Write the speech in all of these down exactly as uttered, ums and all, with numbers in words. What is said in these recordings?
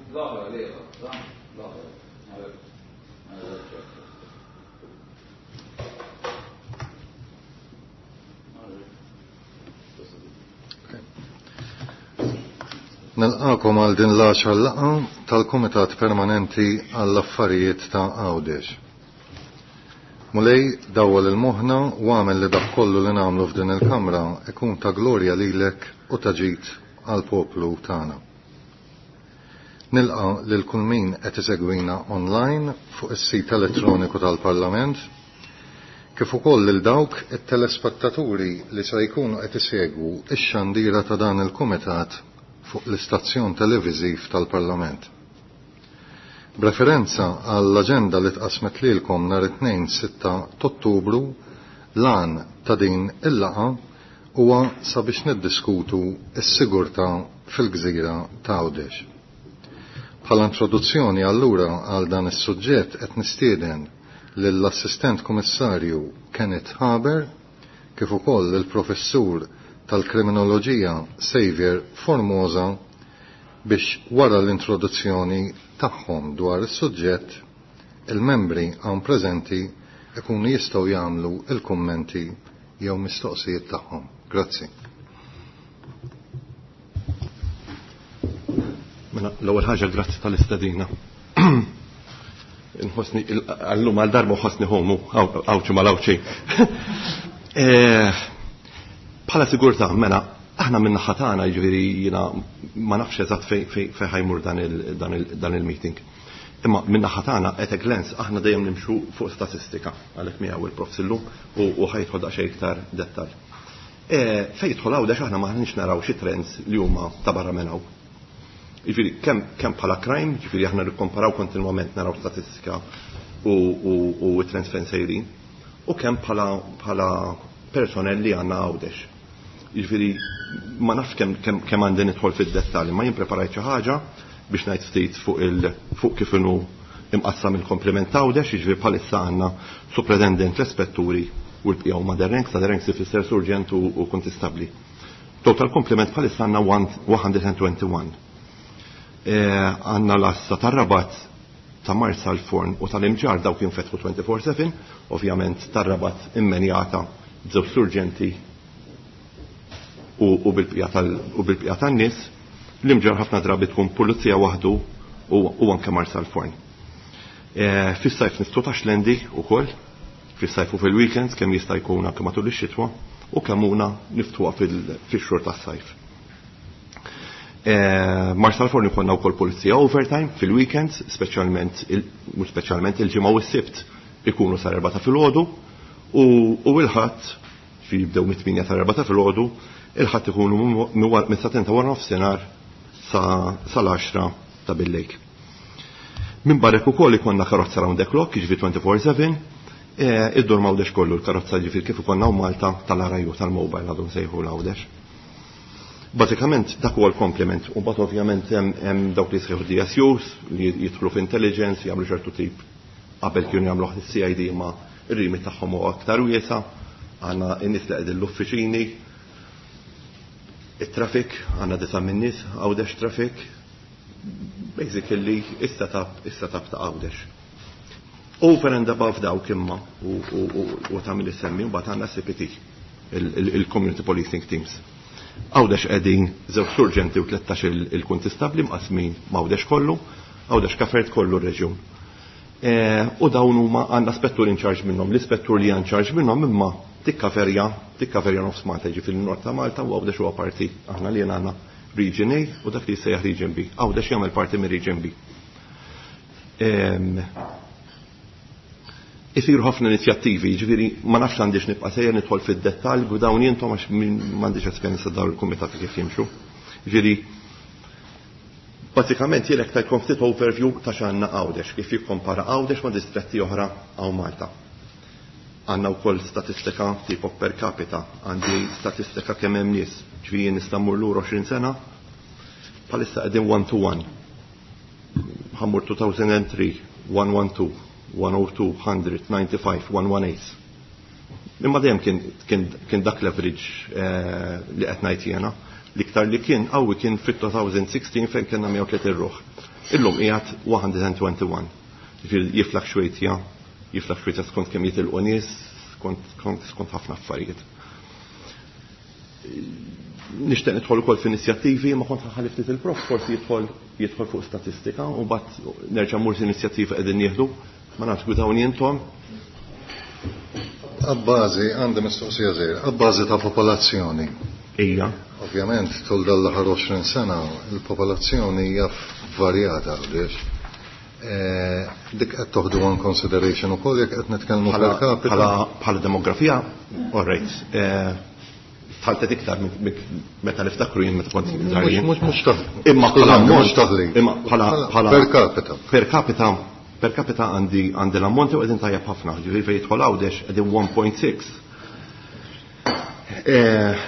L-oħra l-ieħor, l-oħra. Nilqakom għal din l-għaxar laqgħa tal-Kumitat Permanenti għall-Affarijiet ta' Għawdex. Mulej dawwal il-moħħna u għamel li dak kollu li nagħmlu f'din il-kamra ikun ta' glorja lilek u ta' ġid għall-poplu tagħna. Nilqa lil kull min qed isegwina online fuq is-sit elettroniku tal-Parlament, kif ukoll lil dawk it-telespettaturi li se jkunu qed isegwu x-xandira ta' dan il-kumitat fuq l-istazzjon televiżiv tal-Parlament. B'referenza għall-aġenda li tqasmet lilkom nhar it-tnejn sitta t'Ottubru, l-għan ta' din il-laqgħa huwa sabiex niddiskutu s-sigurtà fil-gżira ta' Għawdex. Bħala introduzzjoni allura għal dan is-suġġett qed nistieden lill-Assistent Kummissarju Kenneth Haber kif ukoll il-Professur tal-Kriminoloġija Xavier Formosa biex wara l-introduzzjoni tagħhom dwar is-suġġett il-membri hawn preżenti ikunu jistgħu jagħmlu il-kummenti jew mistoqsijiet tagħhom. Grazzi. Mela, l-ewwel ħaġa grazzi tal-istedina. Nħossni għallum għal darba nħossni homu għawċi mal-għawċi. Bħala sigurtà, mela, aħna minn naħa tagħna, jiġifieri jiena ma nafx eżatt fejn ħajmur dan il-meeting. Imma minn naħa tagħna at a glance aħna dejjem nimxu fuq statistika għalhekk miegħu il-prof illum u ħajidħol daqsxejn iktar dettall. Fejn jidħol Għawdex aħna maħniex naraw xi trends li huma ta' barra minn hawn. Jiġifieri kemm kemm bħala crime, jiġifieri aħna nikkomparaw kontinwament naraw statistika u u trends fejn sejrin, u kemm bħala bħala personnel li għandna Għawdex. Jiġifieri ma nafx kemm kemm kemm għandi nidħol fid-dettalji, ma jien preparajt xi ħaġa biex ngħid ftit fuq il fuq kif inhu imqassam il-komplement Għawdex, jiġifieri bħalissa għandna superintendent l-ispetturi u l-bqija huma the ranks, the ranks ifisser surġent u kontistabbli. Total komplement bħalissa għandna one hundred and twenty-one. Għanna l-assa tar-Rabat ta' Marsalforn u tal-Imġarr dawk jinfetħu twenty-four seven, ovvjament tar-Rabat immenjata b'żewġ surġenti u bil-bqija tan-nies, l-Imġarr ħafna drabi tkun pulizija waħdu u anke Marsalforn. Fis-sajf niftu ta' Xlendi wkoll, fis-sajf u fil-weekends kemm jista' jkun anke matul ix-xitwa u kemm huna niftuha fix-xhur tas-sajf. Marsalforn ikollna wkoll pulizija overtime fil-weekends, speċjalment mhux speċjalment il-ġimgħa u s-Sibt ikunu sar erba' ta' filgħodu u l-Ħadd fi jibdew mit-tmienja ta' erba' ta' filgħodu, il-Ħadd ikunu minn sa tenta wara nofsinhar sal-għaxra ta' billejl. Minn barek ukoll ikollna karozza round the clock, jiġifieri twenty-four seven, iddur m'Għawdex kollu l-karozza jiġifieri kif ikollna Malta tal-R I U tal-mobile għadhom sejħu l-Għawdex. Bażikament dak huwa l-komplement u mbagħad ovvjament hemm dawk li jsejħu D S Us li jidħlu f'intelligence jagħmlu ċertu tip qabel kienu jagħmlu C I D ma r-rimi tagħhom huwa aktar wiesa', għandna n-nies li qegħdin l-uffiċini, it-traffic, għandna disa' min-nies Għawdex traffic, basically is-setup is-setup ta' Għawdex. Over and above dawk imma u tagħmel issemmi mbagħad għandna C P T, il-Community Policing Teams. Għawdex qegħdin żewġ surġenti u tlettax il-kuntistabbli mqasmin m'Għawdex kollu, Għawdex kafert kollu r-reġjun. U dawn huma għandna spettur in charge minnhom, l-ispettur li in charge minnhom imma tikkaverja, tikkaverja nofs Malta, jiġifieri nord ta' Malta u Għawdex huwa parti aħna li għandna Region A u dak li jsejjaħ Region B. Għawdex jagħmel parti minn Region B. Isiru ħafna inizjattivi, jiġifieri ma nafx għandix nibqa' sejjer nidħol fid-dettall u dawn jintom għax m'għandix esperjenza dawn il-kumitati kif jimxu. Jiġifieri bażikament jien hekk tajtkom ftit overview ta' x'għandna Għawdex, kif jikkompara Għawdex ma' distretti oħra hawn Malta. Għandna wkoll statistika tipo per capita, għandi statistika kemm hemm nies, ġifieri jien nista' mmur lura għoxrin sena, bħalissa qegħdin one to one. Ħammur two thousand and three, one one two, one oh two, hundred, ninety-five, one one eight. Imma dejjem kien, kien, kien dak l-average li qed ngħid jiena. L-iktar li kien qawwi kien fit-two thousand sixteen fejn kellna mija u tletin ruħ. Illum qiegħed one hundred twenty-one. Jiġifieri jiflaxxwejtja, jiflaxxwejtja skont kemm jitilqu nies, skont, skont, skont ħafna affarijiet. Nixtieq nidħol ukoll f'inizjattivi, ma kont ħalli ftit il-prof, forsi jidħol, jidħol fuq statistika u mbagħad nerġa' mmur inizjattiva qegħdin nieħdu, ma nafx gwidawni intom. Abbażi, għandi mistoqsija żgħira, abbażi ta' popolazzjoni. Ija. Ovvjament, tul dan l-aħħar għoxrin sena, il-popolazzjoni hija varjata, għaliex. Eh, dik qed toħdu on consideration ukoll jekk qed nitkellmu Bħala per capita. bħala, bħala demografija, all right. Eh, tħaltet iktar minn, minn, meta niftakru jien meta kont Mhux, żgħir jien. mhux, mhux taħli. Imma bħala Skużani, ammont, mhux taħli. Imma bħala, bħala per capita. Per capita, per capita għandi, għandi l-ammonti u qegħdin tajjeb ħafna. Ġifieri fejn jidħol Għawdex qegħdin one point six. Eh,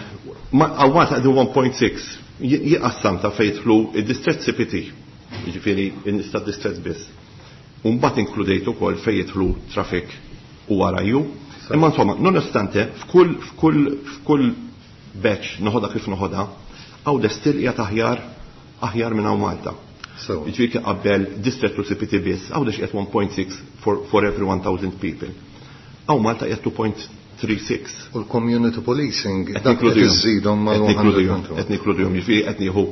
ma għawat qegħdin one point six. Jiqassam ta' fejn jidħlu id-distrett C P T. Ġifieri n-nista distrett biss. U mbagħad inkludejt ukoll fejn jidħlu traffic u R I U. Imma insomma, nonostante f'kull, f'kull, f'kull batch noħodha kif noħodha, Għawdex still qiegħed aħjar, aħjar minn hawn Malta. So. Ġifieri kif qabel distrett u C P T biss, Għawdex qiegħed one point six for, for every one thousand people. Hawn Malta qiegħed two point three six. U l-community policing Qed dak qed ninkludihom. iżżidhom mal Qed ninkludihom. one hundred and Qed ninkludihom, ġifieri qed nieħu,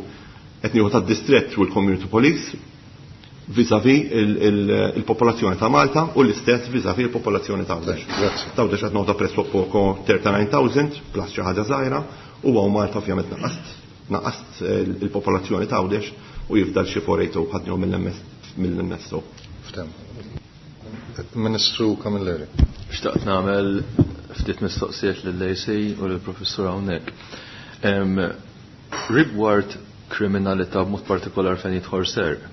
qed nieħu tad-distrett u l-community police vis-à-vis il-, il-, il-popolazzjoni ta' Malta u l-istess vis-à-vis il-popolazzjoni ta' Għawdex. Grazzi. Ta' Għawdex qed noħodha presso poco thirty-nine thousand plus xi ħaġa żgħira u hawn Malta ovvjament naqast, naqast il-popolazzjoni ta' Għawdex u jifdal xi four eight oh ħadnihom mill-M S O. Ftem. Ministru Camilleri. Xtaqt nagħmel ftit mistoqsijiet lill-A C u lill-professur hawnhekk. Em, rigward kriminalità b'mod partikolar fejn jidħol serq.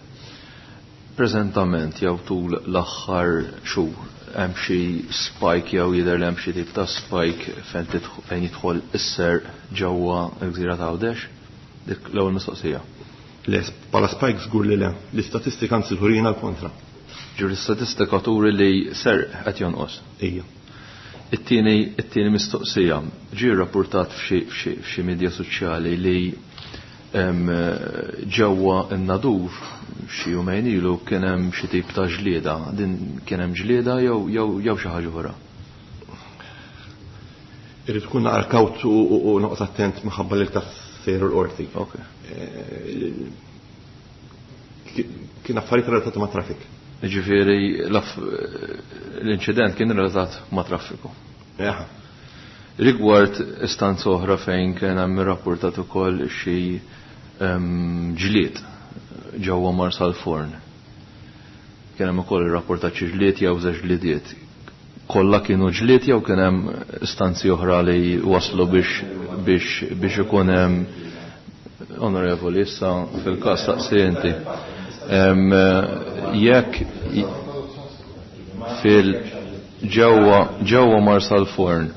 Preżentament jew tul l-aħħar xhur hemm xi spike jew jidher li hemm xi tip ta' spike fejn tidħ-, fejn jidħol is-serq ġewwa l-gżira ta' Għawdex? Dik l-ewwel mistoqsija. Le, bħala spike żgur li le. L-istatistika anzi turina l-kontra. Ġur l-istatistika turi li serq qed jonqos. Ejja. It-tieni, it-tieni mistoqsija ġie rrapportat f'xi, f'xi, f'xi media soċjali li, em, ġewwa n-Nadur xi jumejn ilu kien hemm xi tip ta' ġlieda. Din kien hemm ġlieda jew, jew, jew xi ħaġa oħra? Irid tkun naqra kawt u, u, u noqgħod attent minħabba li tas sejru l-qorti. Ok. Eh, kien affarijiet relatati ma' traffic. Ġifieri l-aff-, l-inċident kien relatat ma' traffiku. Eħa. Rigward istanza oħra fejn kien hemm irrapportat ukoll xi, em, ġlied ġewwa Marsalforn. Kien hemm ukoll irrapportat xi ġlied jew żewġ ġliediet. Kollha kienu ġlied jew kien hemm istanzi oħra li waslu biex, biex, biex ikun hemm onorevoli issa fil-każ taqsi inti. Em, jekk fil ġewwa, ġewwa Marsalforn,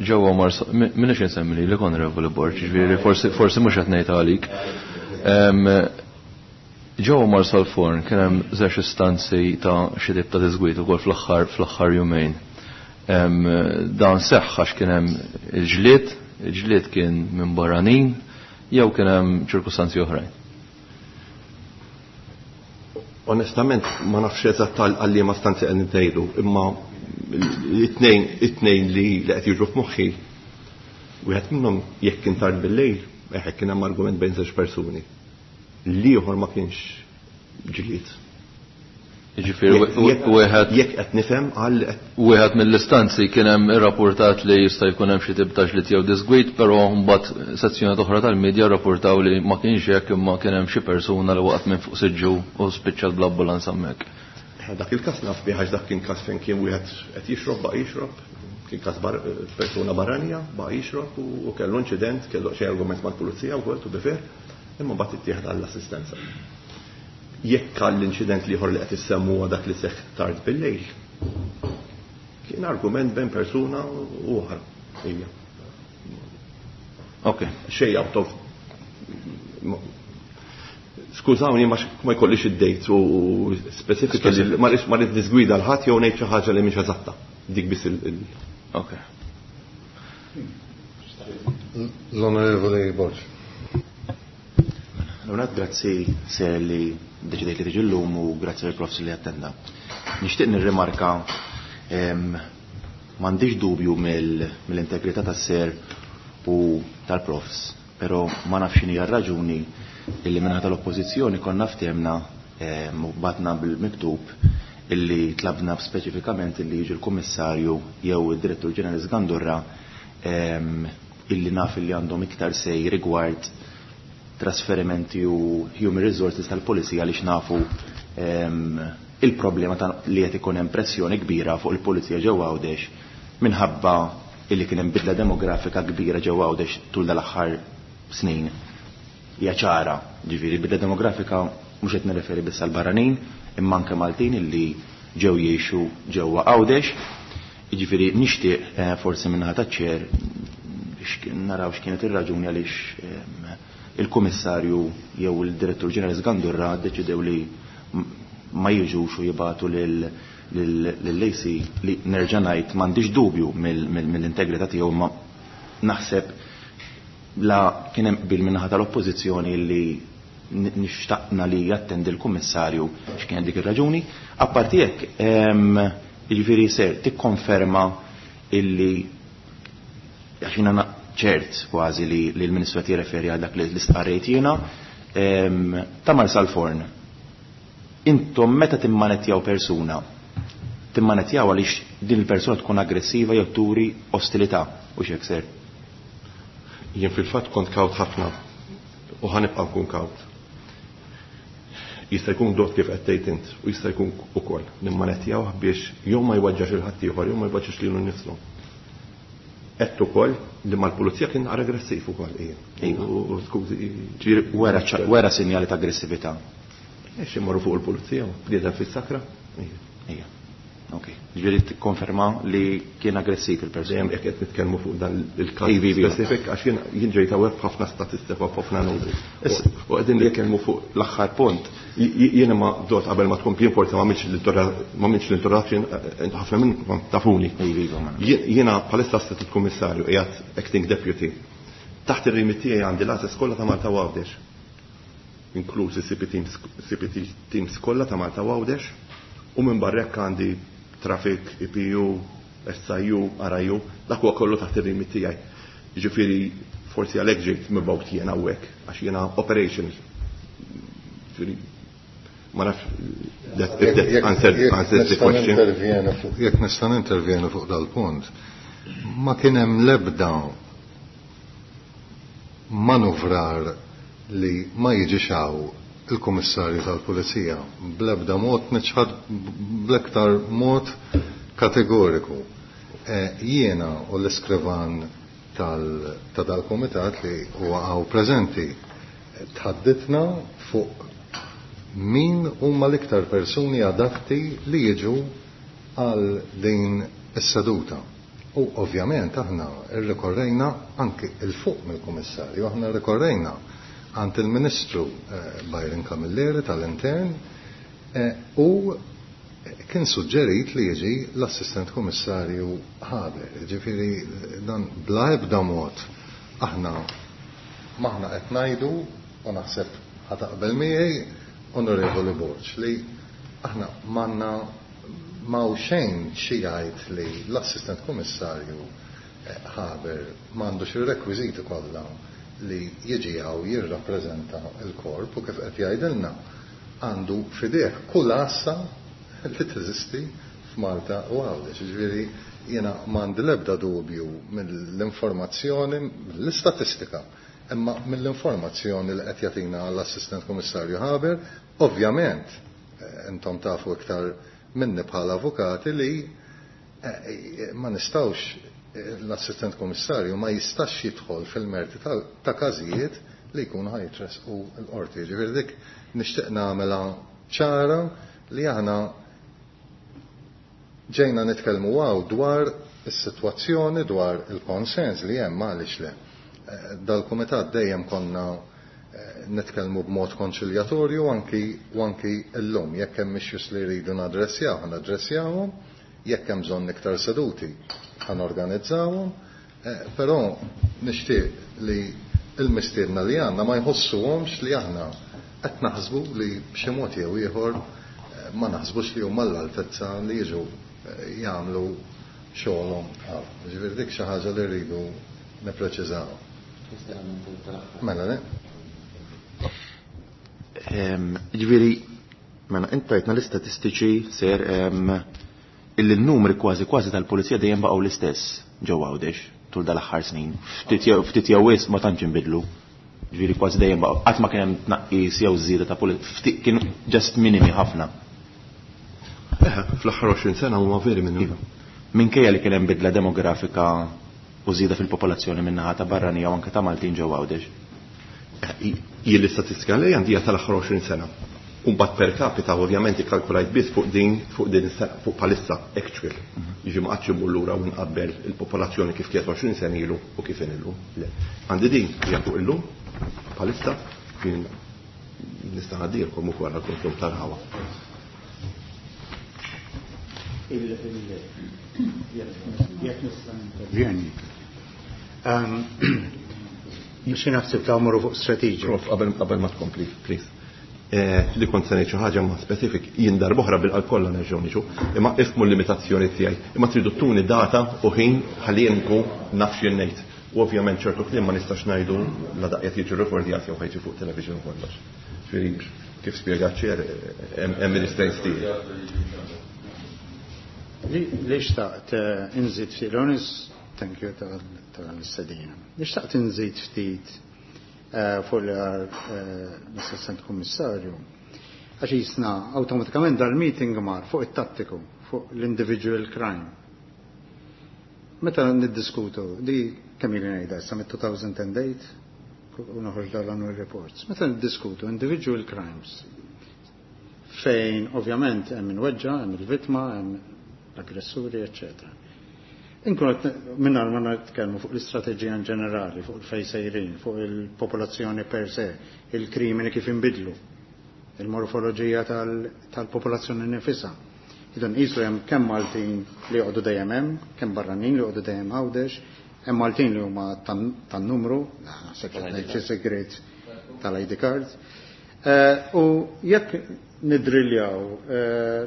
ġewwa Marsa, mi-, minix insemmi li l-Onorevoli Borg, ġifieri forsi, forsi mhux qed ngħid għalik. Em, ġewwa Marsalforn kien hemm żewġ istanzi ta' xi tip ta' diżgwit ukoll fl-aħħar, fl-aħħar jumejn. Em, dan seħħ għax kien hemm il-ġlied, il-ġlied kien minn barranin jew kien hemm ċirkustanzi oħrajn. Onestament ma nafx eżatt għal-, għal liema stanzi qed ngħidu, imma it-tnejn, it-tnejn li, li qed jiġu f'moħħi, wieħed minnhom jekk kien tard bil-lejl, eħe kien hemm argument bejn żewġ persuni. L-ieħor ma kienx ġlied. Jiġifieri Jekk- w-, jekk- wieħed jekk qed nifhem għal qed wieħed mill-istanzi kien hemm irrapportat li jista' jkun hemm xi tip ta' ġlied jew disgwid, però mbagħad sezzjoni oħra tal-medja rrapportaw li ma kienx hekk imma kien hemm xi persuna li waqgħet minn fuq siġġu u spiċċat bl-ambulanza hemmhekk. Dak il-każ naf bih għax dak kien każ fejn kien wieħed qed jixrob baqa' jixrob, kien każ bar-, persuna barranija baqa' jixrob u, u kellu inċident, kellu xi argument mal-pulizija wkoll to be fair, imma mbagħad ittieħed għall-assistenza. Jekk għall-inċident li ieħor li qed issemmu huwa dak li seħħ tard bil-lejl, kien argument bejn persuna u oħra. Ejja. Ok. Xejn out of Skużawni ma x-, ma jkollix id-date u, u specifically Specific. ma rridx, ma rridx nisgwida l-ħadd jew ngħid xi ħaġa li mhix eżatta. Dik biss il-, il- Ok. L-Onorevoli Borg. Leonard, grazzi ser li deċidejt li tiġi llum u grazzi lill-profs li attenda. Nixtieq nirrimarka m'għandix dubju mill-integrità tas-ser u tal-profs, però ma nafx x'inhi r-raġuni illi minħa tal-oppożizzjoni konna ftehemna u batna bil-miktub illi tlabna speċifikament illi jiġi l-Kummissarju jew id-Direttur Ġenerali Sgandurra illi naf illi għandhom iktar sej rigward trasferimenti u human resources tal-pulizija għaliex nafu il-problema li qed ikun hemm pressjoni kbira fuq il-pulizija ġewwa Għawdex minħabba illi kien hemm bidla demografika kbira ġewwa Għawdex tul dal-aħħar snin. Hija ċara, ġifieri bidla demografika mhux qed nirreferi biss għal barranin, imma anke Maltin illi ġew jgħixu ġewwa Għawdex. Jiġifieri nixtieq forsi minnaħa taċ-ċer naraw x'kienet ir-raġuni għaliex il-Kummissarju jew il-Direttur Ġenerali Sgandurra ddeċidew li ma jiġux u jibatu lill-A C li nerġa' ngħid m'għandix dubju mill-integrità tiegħu, ma naħseb la kien hemm qbil min-naħa tal-Oppożizzjoni li nixtaqna li jattendi l-Kummissarju x'kien dik ir-raġuni. Apparti hekk, jiġifieri ser tikkonferma illi għax jiena ċert kważi li l-Ministru qed jirreferi għal dak li l-istqarrejt jiena, ta' Marsalforn. Intom meta timmanettjaw persuna, timmanettjaw għaliex din il-persuna tkun aggressiva jew turi ostilità u x'hekk ser? Jien fil-fatt kont kawt ħafna u ħanibqa' nkun kawt. Jista' jkun dot kif qed tgħid int u jista' jkun ukoll nimmanettjawh biex jew ma jwaġġax il ħadd ieħor jew ma jwaġġax lilu nnifsu. Qed ukoll li mal-pulizija kien naqra aggressiv ukoll ija. U skużi, Ġifieri wera ċa-, wera sinjali ta' aggressività. Ex imorru fuq il-pulizija, bniedem fis-sakra. Ija. Ija. Ok. Ġifieri tikkonferma li kien aggressiv il-persuna. Dejjem jekk qed nitkellmu fuq dan il-każ Ivi, ivi. specifik, għax jien, jien ġejt hawnhekk b'ħafna statistika u b'ħafna numri. Issa, U qegħdin nitkellmu fuq l-aħħar punt. J-, j-, jiena ma dot qabel ma tkompli forsi ma għamilx l-introda-, ma għamilx l-introduction, eh, ħafna minnkom tafuni. Ivi, ivi, ma nafx. Jien, jiena bħalissa assistant kummissarju qiegħed acting deputy. Taħt ir-remit tiegħi għandi l-għażel kollha ta' Malta u Għawdex. Inklużi C P teams, C P T teams kollha ta' Malta u Għawdex, u minn barra hekk għandi traffic, E P U, S I U, R I U, dak huwa kollu taħt ir-remit tiegħi. Jiġifieri forsi għalhekk ġejt mibgħut jiena hawnhekk għax jiena operations. Jiġifieri ma nafx that, if that Jekk- answered, jekk answers the nista' question. nintervjeni fuq, jekk nista' nintervjeni fuq dal-punt, ma kien hemm l-ebda manuvrar li ma jiġix hawn il-Kummissarju tal-Pulizija bl-ebda mod niċħad bl-iktar mod kategoriku. Eh, jiena u l-iskrivan tal-, ta' dal-komitat li huwa hawn preżenti tħadditna fuq min huma l-iktar persuni adatti li jiġu għal din is-seduta. U ovvjament aħna rrikorrejna anki il-fuq mill-Kummissarju, aħna rrikorrejna għand il-Ministru, eh, Byron Camilleri tal-Intern, eh, u kien suġġerit li jiġi l-Assistent Kummissarju Haber. Ġifieri dan bla ebda mod aħna maħna qed ngħidu u naħseb ħataqbel miegħi Onorevoli Borg li aħna manna ma' xejn xi jgħid li l-Assistent Kummissarju, eh, Haber m'għandux ir-rekwiżiti kollha li jiġi hawn jirrappreżenta l-korp u kif qed jgħidilna għandu f'idejh kull għassa li teżisti f'Malta u Għawdex. Ġifieri jiena m'għandi l-ebda dubju mill-informazzjoni, mill-istatistika, imma mill-informazzjoni li qed jagħtina l-Assistent Kummissarju Haber, ovvjament, eh, intom tafu iktar minni bħala avukati li, eh, ma nistgħux, eh, l-Assistent Kummissarju ma jistax jidħol fil-merti ta', ta' każijiet li jkunu ħajtresqu l-qorti. Ġifieri dik nixtieq nagħmilha ċara li aħna ġejna nitkellmu hawn dwar is-sitwazzjoni, dwar il-konsens li hemm għaliex le. Eh, dal-kumitat dejjem konna, eh, nitkellmu b'mod konċiljatorju anki, u anki llum jekk hemm issues li jridu nadressjaw, nadressjawhom, jekk hemm bżonn iktar seduti ħanorganizzawhom, eh, però nixtieq li l-mistiedna li għandna ma jħossuhomx li aħna qed naħsbu li b'xi mod jew ieħor ma naħsbux li huma l-altezza li jiġu jagħmlu xogħolhom. Ġifieri dik xi ħaġa li rridu nippreċiżaw. Mela le? Ġifieri, mela int tajtna l-istatistiċi ser illi n-numri kważi kważi tal-pulizija dejjem baqgħu l-istess ġewwa Għawdex tul dal-aħħar snin. Ftit jew wisq ma tantx inbidlu. Ġifieri kważi dejjem baqgħu qatt ma kien hemm tnaqqis jew żieda ta' pulizija, kienu just minimi ħafna. Fl-aħħar għoxrin sena huma veri minnu. Minkejja li kien hemm bidla demografika u żieda fil-popolazzjoni min-naħa ta' barranija u anke ta' Maltin ġewwa Għawdex. Jien l-istatistika li għandi hija tal-aħħar għoxrin sena. U mbagħad per capita ovvjament ikkalkulajt biss fuq din fuq din is-sena, fuq palissa actual. Jiġi ma qatx immur lura u nqabbel il-popolazzjoni kif kienet għoxrin sena ilu u kif inhi llum. Le. Għandi din hija fuq illum palissa kien nista' ngħaddilkom ukoll għall-konsum tal-ħawa. Jekk nista' intervjeni. Mhux naħseb ta' mmorru fuq strateġija. Prof, qabel qabel ma tkompli, please. Li kont se ngħid xi ħaġa ma specific, jien darb'oħra bil-qalb kollha nerġgħu niġu, imma ifhmu l-limitazzjoni tiegħi. Imma tridu tuni data u ħin ħalli jien nkun naf x'jien ngħid. U ovvjament ċertu kliem ma nistax ngħidu la daqqiet jiġu rekordjati jew ħajġi fuq television u kollox. Ġifieri kif spjegat ċer hemm il-restraints tiegħi. Li xtaqt inżid ftit, Lonis, thank you tal-istedina. Li xtaqt inżid ftit fuq li għar l-assistent kummissarju, għax jisna awtomatikament dal-meeting mar fuq it-tattiku, fuq l-individual crime. Meta niddiskutu, di kemm ili ngħidha issa mit-two thousand and eight, u noħroġ dal-annual reports, meta niddiskutu individual crimes, fejn ovvjament hemm inweġġa, hemm il-vittma, hemm l-aggressuri, eccetera. Inkunu qed mingħajr ma nitkellmu fuq l-istrateġija in ġenerali, fuq il-fejn sejrin, fuq il-popolazzjoni per se, il-krimini kif inbidlu, il-morfoloġija tal-popolazzjoni nifisha. Idu nqisu hemm kemm Maltin li joqogħdu dejjem hemm, kemm barranin li joqogħdu dejjem Għawdex, hemm Maltin li huma tan-numru, naħseb qed ngħid xi segret tal-I D card. U jekk nidriljaw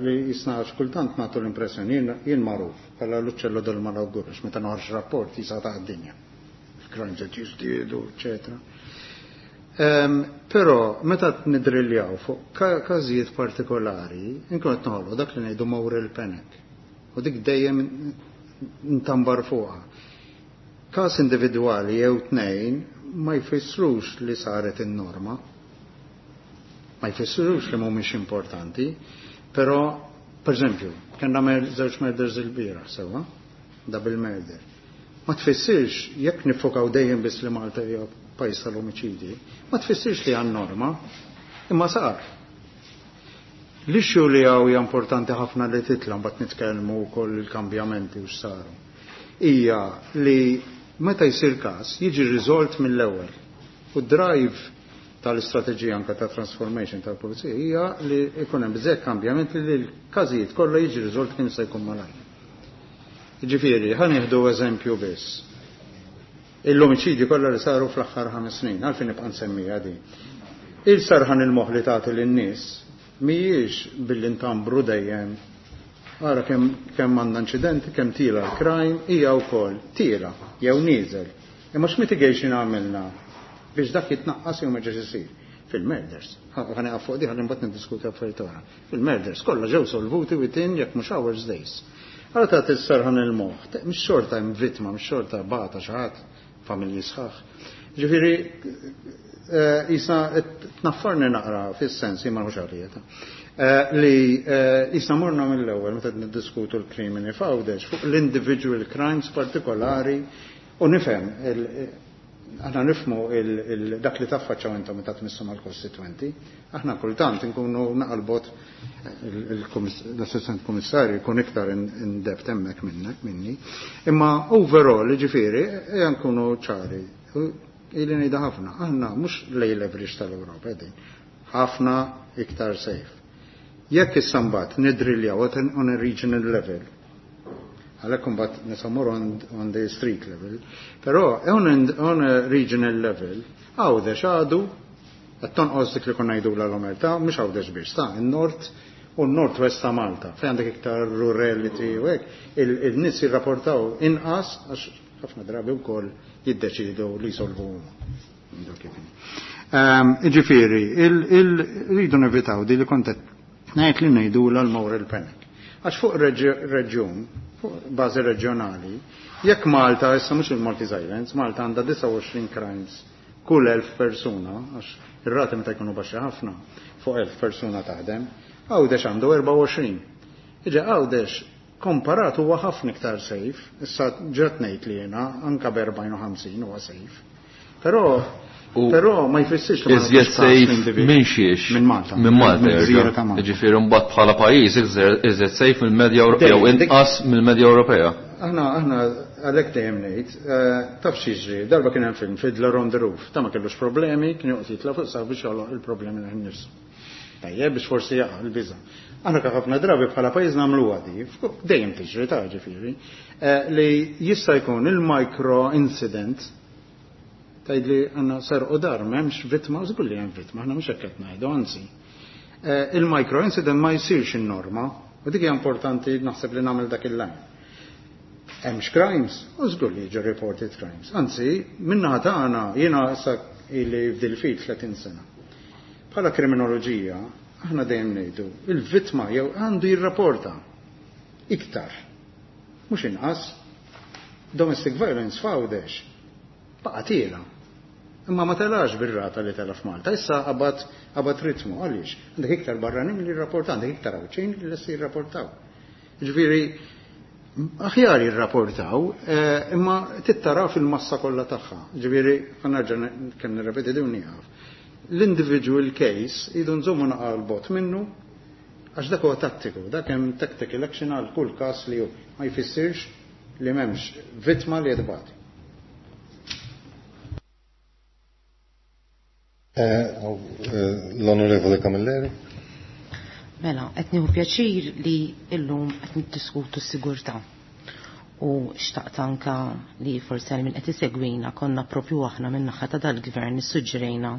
li jisna kultant nagħtu l-impressjoni jien magħruf bħala l-uċċello del malawgur, għax meta noħroġ rapport jisa ta' d-dinja. Il-crimes qed jiżdiedu, eċetera. Però meta nidriljaw fuq każijiet partikolari, inkun qed noħolqu dak li ngħidu moral panic. U dik dejjem ntambar fuqha. Każ individwali jew tnejn ma jfissrux li saret in-norma. Ma jfissrux li mhumiex importanti, però, per eżempju, kellna żewġ murders il-bieraħ sewwa, double murder. Ma tfissirx jekk nifokaw dejjem biss li Malta hija pajjiż tal-omiċidji, ma tfissirx li għan norma, imma sar. L-issue li hawn hija importanti ħafna li titla' mbagħad nitkellmu wkoll il-kambjamenti u x'saru. Hija li meta jsir każ jiġi riżolt mill-ewwel. U drive tal-istrateġija anke ta' transformation tal-pulizija hija li jkun hemm bżekk kambjament li l-każijiet kollha jiġi riżolt kemm se jkun malajr. Jiġifieri, ħa nieħdu eżempju biss. L-omiċidji kollha li saru fl-aħħar ħames snin, għalfejn nibqa' nsemmiha din. Il-sarħan il-moħħ li tagħti lin-nies mhijiex billi ntambru dejjem ara kemm kemm għandna inċidenti, kemm tila l-crime, hija wkoll tila jew nieżel. Imma x'mitigation għamilna biex dak jitnaqqas jew ma ġiex isir fil-murders. Ħa nieqaf fuq di ħalli mbagħad niddiskuti affarijiet oħra. Fil-murders kollha ġew solvuti within jekk mhux hours days. Allora tagħti s-serħan il-moħħ, mhix xorta hemm vittma, mhix xorta bata xi ħadd, familji sħaħ. Ġifieri, jisna tnaffarni naqra fis-sens imma mhux għalija ta'. Li jisna morna mill-ewwel meta niddiskutu l-krimini f'Għawdex fuq l-individual crimes partikolari u nifhem aħna nifhmu dak li taffaċċaw intom meta tmissu mal-kostitwenti, aħna kultant inkunu naqalbot l-assistent kummissarju jkun iktar in depth hemmhekk minnek minni. Imma overall, ġifieri, ejja nkunu ċari. Ili ngħidha ħafna, aħna mhux lej leverage tal-Ewropa qegħdin, ħafna iktar safe. Jekk issa mbagħad nidriljaw on a regional level, għalhekk imbagħad nisamur on, on the street level, però on, on a regional level, Għawdex għadu Qed tonqos dik li konna ngħidulha l-omertà, mhux Għawdex biss, ta' in-nord u n-nord west ta' Malta, fejn għandek iktar rurality u hekk, il-nies jirrapportaw inqas għax ħafna drabi wkoll jiddeċidu li jsolvu huma. Jiġifieri, rridu nevitaw di li kont qed ngħid li ngħidulha l-moral panic. Għax fuq reġjun, fuq bażi reġjonali, jekk Malta, issa mhux il-Maltese Islands, Malta għandha disgħa u għoxrin crimes kull elf persuna, għax ir-rati meta jkunu baxxi ħafna, fuq elf persuna taħdem, Għawdex għandu erbgħa u għoxrin. Iġa Għawdex komparat huwa ħafna iktar safe, issa ġrat ngħid li jiena anka b'erbgħin u ħamsin huwa safe. Però però ma jfissirx li ma Iżjed nagħtux każ safe l-individwu. minn xiex? Minn Malta. Minn Malta, Minn jerġa'. gżira ta' Malta. Jiġifieri mbagħad bħala pajjiż iżjed safe mill-medja Ewropea jew Dejjem, dik- inqas mill-medja Ewropea. Aħna, aħna għalhekk dejjem ngħid, eh, taf x'jiġri, darba kien hemm film Fiddler on the Roof, ta' ma kellux problemi, kien joqgħod jitla' fuq saqaf biex joħloq il-problemi lil nnifsu. Tajjeb biex forsi jaqa' l-biża'. Aħna ħafna drabi bħala pajjiż nagħmluha di, dejjem tiġri ta' ġifieri, eh, li jista' jkun il-micro incident tgħid li għandna serqu dar, m'hemmx vittma, żgur li hemm vittma, aħna mhux hekk qed ngħidu, anzi. Eh, il-micro incident ma jsirx in-norma, u dik hija importanti naħseb li nagħmel dak il-lajn. Hemmx crimes, u żgur li jiġu reported crimes. Anzi, minnaħa tagħna jiena issa ili f'dil-fil tletin sena. Bħala kriminoloġija, aħna dejjem ngħidu, il-vittma jew għandu jirrapporta iktar. Mhux inqas. Domestic violence f'Għawdex baqa' tiela. Imma ma telax bir-rata li tela f'Malta. Issa qabad, qabad ritmu, għaliex? Għandek iktar barranin li jirrapportaw, għandek iktar Għawdxin li lesti jirrapportaw. Ġifieri, aħjar jirrapportaw, eh, imma tittara fil-massa kollha tagħha. Ġifieri, ħa nerġa' kemm nirrepeti din nieqaf. L-individual case idu nżommu naqa' l-bot minnu, għax dak huwa tattiku, dak hemm tactical action għal kull każ li hu ma jfissirx li m'hemmx vittma li jitbati. Eh, eh, l-Onorevole Camilleri. Mela, qed nieħu pjaċir li llum qed niddiskutu s-sigurtà. U xtaqt anka li forsi għal min qed isegwina konna propju aħna min naħa ta' dal-gvern nissuġġerejna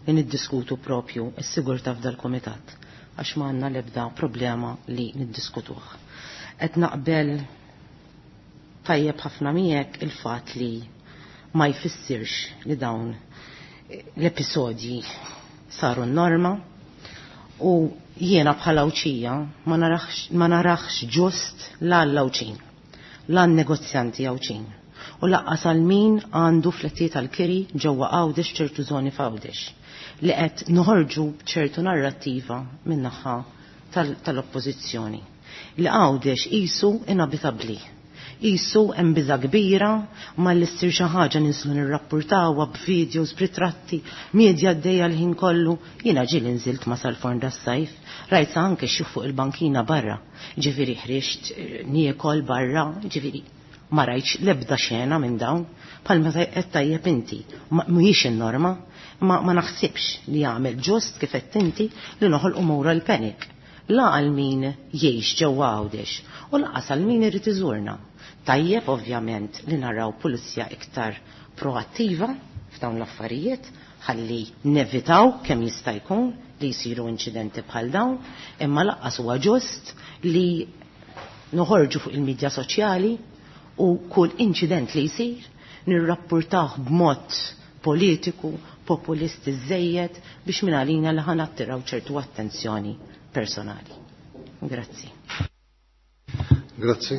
li niddiskutu propju s-sigurtà f'dal-kumitat għax ma għandna l-ebda problema li niddiskutuh. Qed naqbel tajjeb ħafna miegħek il-fatt li ma jfissirx li dawn l-episodji saru n-norma u jiena bħala Għawdxija ma narax, ma narax ġust la l-Għawdxin, la n-negozjanti Għawdxin u laqqas għal min għandu flettijiet tal-kiri ġewwa Għawdex ċertu żoni f'Għawdex li qed noħorġu b'ċertu narrattiva min-naħa tal-, tal-oppożizzjoni li Għawdex qisu inabitabbli. Qisu hemm biża' kbira ma li ssir xi ħaġa ninslu nirrappurtawha b'videos, b'ritratti, media għaddejja l-ħin kollu. Jiena ġieli nżilt ma sal-forn das-sajf, rajt sa anke xi fuq il-bankina barra. Ġifieri ħriġt niekol barra, ġifieri ma rajtx l-ebda xena minn dawn, bħalma qed tajjeb inti. Ma-, mhijiex in-norma, ma, ma naħsibx li jagħmel ġust kif qed inti li noħolqu moral panic. La għal min jgħix ġewwa Għawdex u lanqas għal min irid iżurna. Tajjeb ovvjament li naraw pulizija iktar proattiva f'dawn l-affarijiet ħalli nevitaw kemm jista' jkun li jsiru inċidenti bħal dawn, imma lanqas huwa ġust li noħorġu fuq il-medja soċjali u kull inċident li jsir nirrappurtah b'mod politiku, populisti żejjed biex minn għalina li ħanattiraw ċertu attenzjoni personali. Grazzi. Grazzi,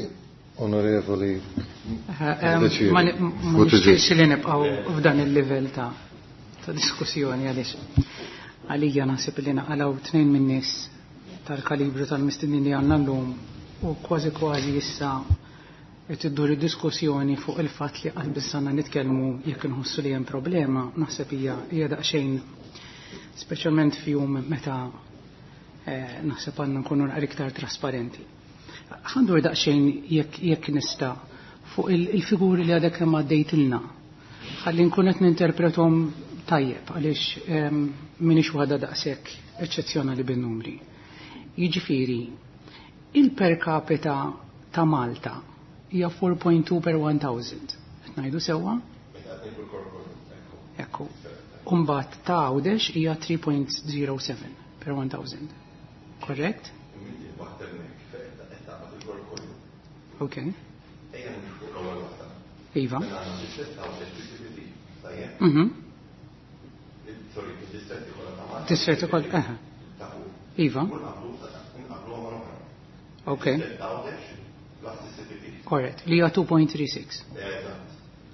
onorevoli. Eh, ehm, Ma ma nixtieqx li nibqgħu f'dan il-livell ta' ta' diskussjoni għaliex għalija naħseb li naqalgħu tnejn min-nies tal-kalibru tal-mistednin li għandna llum u kważi kważi issa qed iddur id-diskussjoni fuq il-fatt li qatt biss għandna nitkellmu jekk inħossu li hemm problema, naħseb hija hija daqsxejn speċjalment f'jum meta, eh, naħseb għandna nkunu naqra iktar trasparenti. Ħandur daqsxejn jekk, jekk nista' fuq il-, il-figuri li għadek kemm għaddejtilna. Ħalli nkun qed ninterpretom tajjeb għaliex, ehm, m'iniex waħda daqshekk eċċezzjonali bin-numri. Jiġifieri, il-per capita ta' Malta hija four point two per one thousand. Qed ngħidu sewwa? Ekku. Umbagħad ta' Għawdex hija three point zero seven per one thousand. Correct? Ok. Iva. Mhm. Distretti kollha, aha. Iva. Ok. Correct. Li hija two point three six.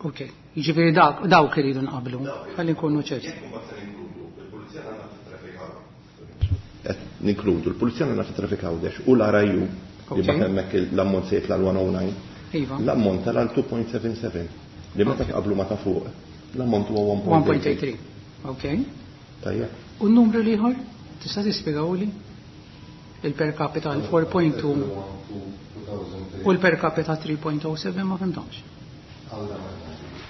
Ok. Jiġifieri dak, dawk iridu nqablu. Ħalli nkunu ċerti. Qed ninkludu l-Pulizija Nazzjonali fit-Traffic Għawdex u l-R I U li Ok. bagħat hemmhekk l-ammont se jitla' l-one oh nine. Iva. L-ammont tal two point seven seven li meta qablu ma ta' fuq l-ammont huwa one point one point eight three. Ok. Tajjeb. U n-numru l-ieħor? Tista' tispjegawli? Il-per capita l four point two u l-per capita three point oh seven ma fimtomx.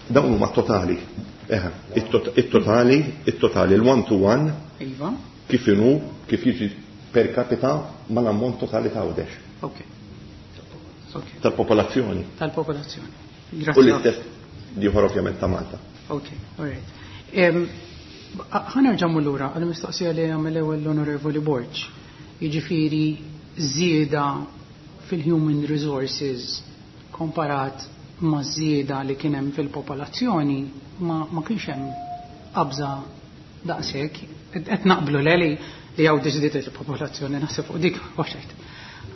Dawn huma totali. Eħe, it-tot-, it-totali, it-totali, l-one to one. Iva. Kif inhu, kif jiġi per capita mal-ammont totali ta' Għawdex. Ok. Ok. Tal-popolazzjoni. Tal-popolazzjoni. U Grazie. l-istess ieħor ovvjament ta' Malta. Ok, all right. Em, ħa nerġa' mmur lura għall-mistoqsija li għamel ewwel l-Onorevoli Borg. Jiġifieri żieda fil-human resources komparat ma' żieda li kien hemm fil-popolazzjoni ma, ma kienx hemm qabża daqshekk. Qed naqblu le li, li hawn żdiedet il-popolazzjoni, naħseb fuq dik waxet.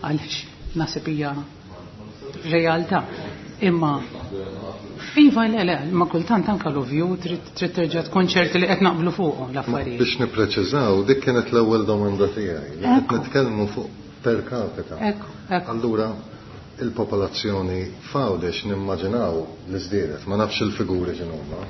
Għaliex naħseb hija realtà. Imma iva le le, ma kultant anka l-ovvju trid, trid terġa' tkun ċerti li qed naqblu fuqhom l-affarijiet. Biex nippreċiżaw, dik kienet l-ewwel domanda tiegħi, li qed Ekku. nitkellmu fuq per capita. Ekku, ekku. Allura il-popolazzjoni f'Għawdex nimmaġinaw li żdiedet, ma nafx il-figuri x'inhuma.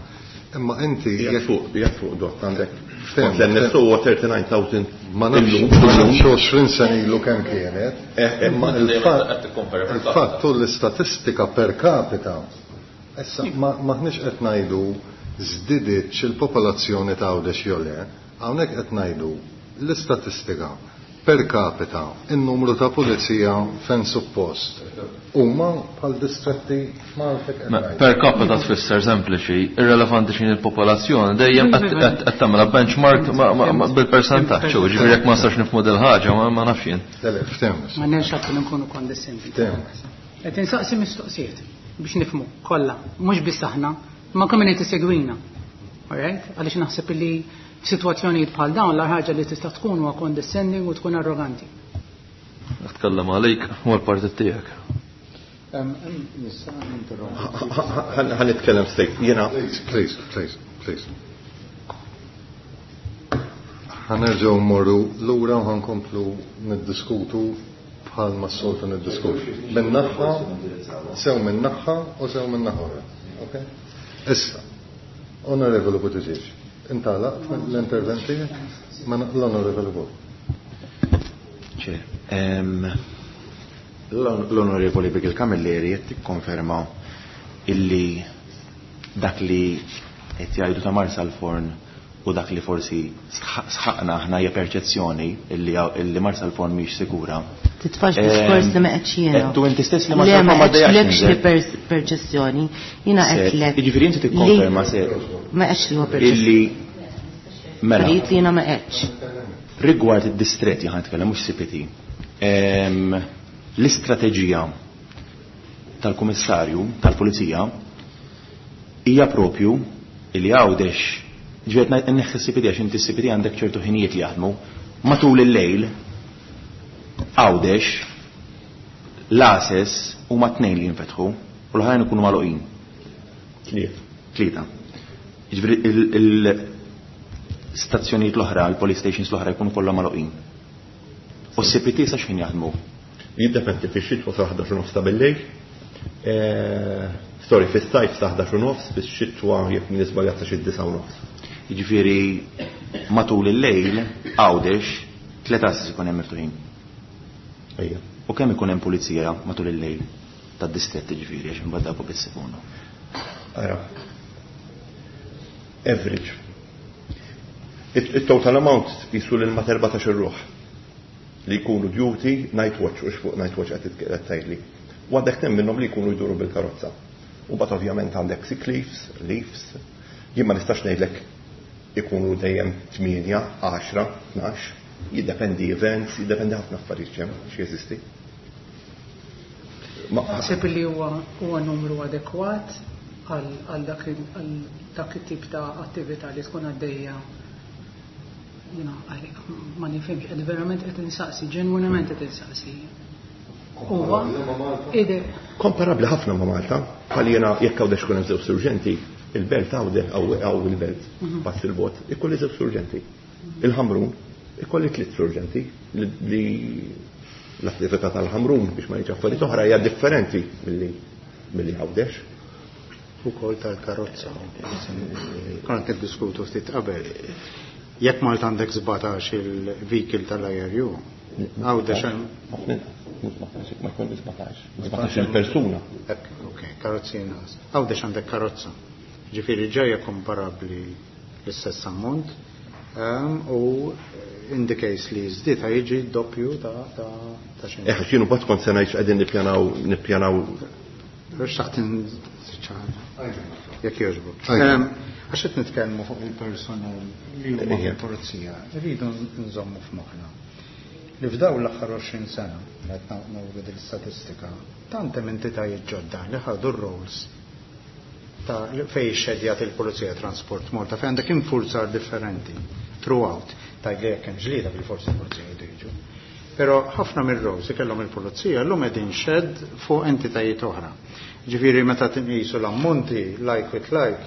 Imma inti Hija jekk fuq, hija fuq dott għandek. Ftem, Kont l-N S O huwa thirty-nine thousand Ma nafx, illum. ma nafx għoxrin sena ilu kemm kienet, Eh, eh, imma ma il-fatt qed tikkompara per il-fatt capita. u l-istatistika per capita. Issa ma, maħniex qed ngħidu żdiditx il-popolazzjoni ta' Għawdex jew le, hawnhekk qed ngħidu l-istatistika per capita, in-numru ta' pulizija fejn suppost. Huma bħal distretti Malta qed Ma, ngħidu. Per capita tfisser sempliċi, irrelevanti x'in il-popolazzjoni, dejjem qed, qed, qed tagħmilha benchmark ma, ma, ma, bil-persentaġġ, u ġifieri jekk ma nistax nifhmu dil ħaġa ma, ma nafx jien. Le, le, ftehmu. Ma nafx għad nkunu kondescendenti. Ftehmu. Qed insaqsi mistoqsijiet biex nifhmu kollha, mhux biss aħna, ma kemm qed isegwina. All right? Għaliex naħseb li f'sitwazzjonijiet bħal dawn l ħaġa li tista' tkun huwa condescending u tkun arroganti. Nitkellem għalik u l-partit tiegħek. Nista' ninterrompi. Ħa nitkellem stejk. Jiena Please, please, please, please. Ħa nerġgħu mmorru lura u ħankomplu niddiskutu bħal ma s-soltu niddiskutu. Minn naħa, sew minn naħa u sew minn naħa oħra. Ok? Issa, Onorevoli Buttigieg, intalaqt l-intervent tiegħek? Ma l-Onorevoli Borg. Ċe, ehm, l-Onorevoli Bigil Camilleri qed tikkonferma illi dak li qed jgħidu ta' Marsalforn u dak li forsi sħ-, sħaqna aħna hija perċezzjoni illi, illi Marsalforn mhix sikura. Titfax diskors li ma qedx jiena. Qed tu inti stess li Le, Marsalforn ma ma qedx ddejjaqx lekx li ninżel. pers-, perċezzjoni. Jiena Se, qed lek. Jiġifieri inti tikkonferma se Ma qedx li huwa perċezzjoni. Illi mela. Affarijiet li jiena ma qedx. Rigward id-distretti ħan nitkellem mhux C P T. Ehm, l-istrateġija tal-Kummissarju tal-Pulizija hija propju li Għawdex, ġifieri ngħid inneħħi C P T għax inti C P T għandek ċertu ħinijiet li jaħdmu, matul il-lejl Għawdex l-għases huma tnejn li jinfetħu u l-oħrajn ikunu magħluqin. Tliet. Tlieta. Jiġifieri il-, il-stazzjonijiet l-oħra, il-police stations l-oħra jkunu kollha magħluqin. U C P T sa x'ħin jaħdmu? Jiddependi fix-xitwa sa ħdax u nofs ta' bil-lejl. Eh, sorry, fis-sajf sa ħdax u nofs, fix-xitwa jekk min iżbaljat sa xi disa' u nofs. Jiġifieri matul il-lejl Għawdex tliet għases ikun hemm miftuħin. Ejja. U kemm ikun hemm pulizija matul il-lejl tad-distrett jiġifieri għax imbagħad dawk biss ikunu. Ara. Average. It-total amount jisu lil ma terbatax ir-ruħ li jkunu duty night watch, u xfuq night watch qed tgħidli. U għandek tnejn minnhom li jkunu jduru bil-karozza. U mbagħad ovvjament għandek sick leaves, leaves. Jien ma nistax ngħidlek ikunu dejjem tmienja, għaxra, tnax, jiddependi events, jiddependi ħafna affarijiet hemm x'jeżisti. Naħseb li huwa huwa numru adekwat għal dak dak it-tip ta' attività li tkun għaddejja. Ma nifhimx, qed verament qed insaqsi, ġenwinament qed insaqsi. Huwa komparabbli ħafna ma' Malta, bħal jiena jekk Għawdex ikun hemm żewġ surġenti, il-belt Għawdex hawn il-belt, pass il-bot, ikolli żewġ surġenti. Il-Ħamrun ikolli tliet surġenti li l-attività tal-Ħamrun biex ma ngħidx affarijiet oħra hija differenti milli milli Għawdex. Ukoll tal-karozza. Konna niddiskutu ftit qabel. Jekk Malta għandek sbatax il-vehicle tal-I R U, Għawdex hemm ma jkun sbatax, sbatax il-persuna. Ok, karozzi inqas. Għawdex għandek karozza. Ġifieri ġejja komparabbli l-istess ammont, u in the case li żdied jiġi doppju ta' ta' xejn. Eh, x'inhu bad kont se ngħid x'qegħdin nippjanaw nippjanaw. Xtaqt inċara. Jekk jogħġbok. Għax qed nitkellmu fuq il-personal li huma fil-pulizija, irridu nżommu f'moħħna li f'dawn l-aħħar għoxrin sena, qed nagħmlu din l-istatistika, tant hemm entitajiet ġodda li ħadu r-roles ta' fejn xedjat il-Pulizija Transport Malta, fejn għandek infurzar differenti throughout, tgħid li jekk hemm ġlieda bil-forsi l-pulizija jridu jiġu. Però ħafna mir-roles ikellhom il-pulizija llum qegħdin xed fuq entitajiet oħra. Ġifieri meta tinqisu l-ammonti like with like,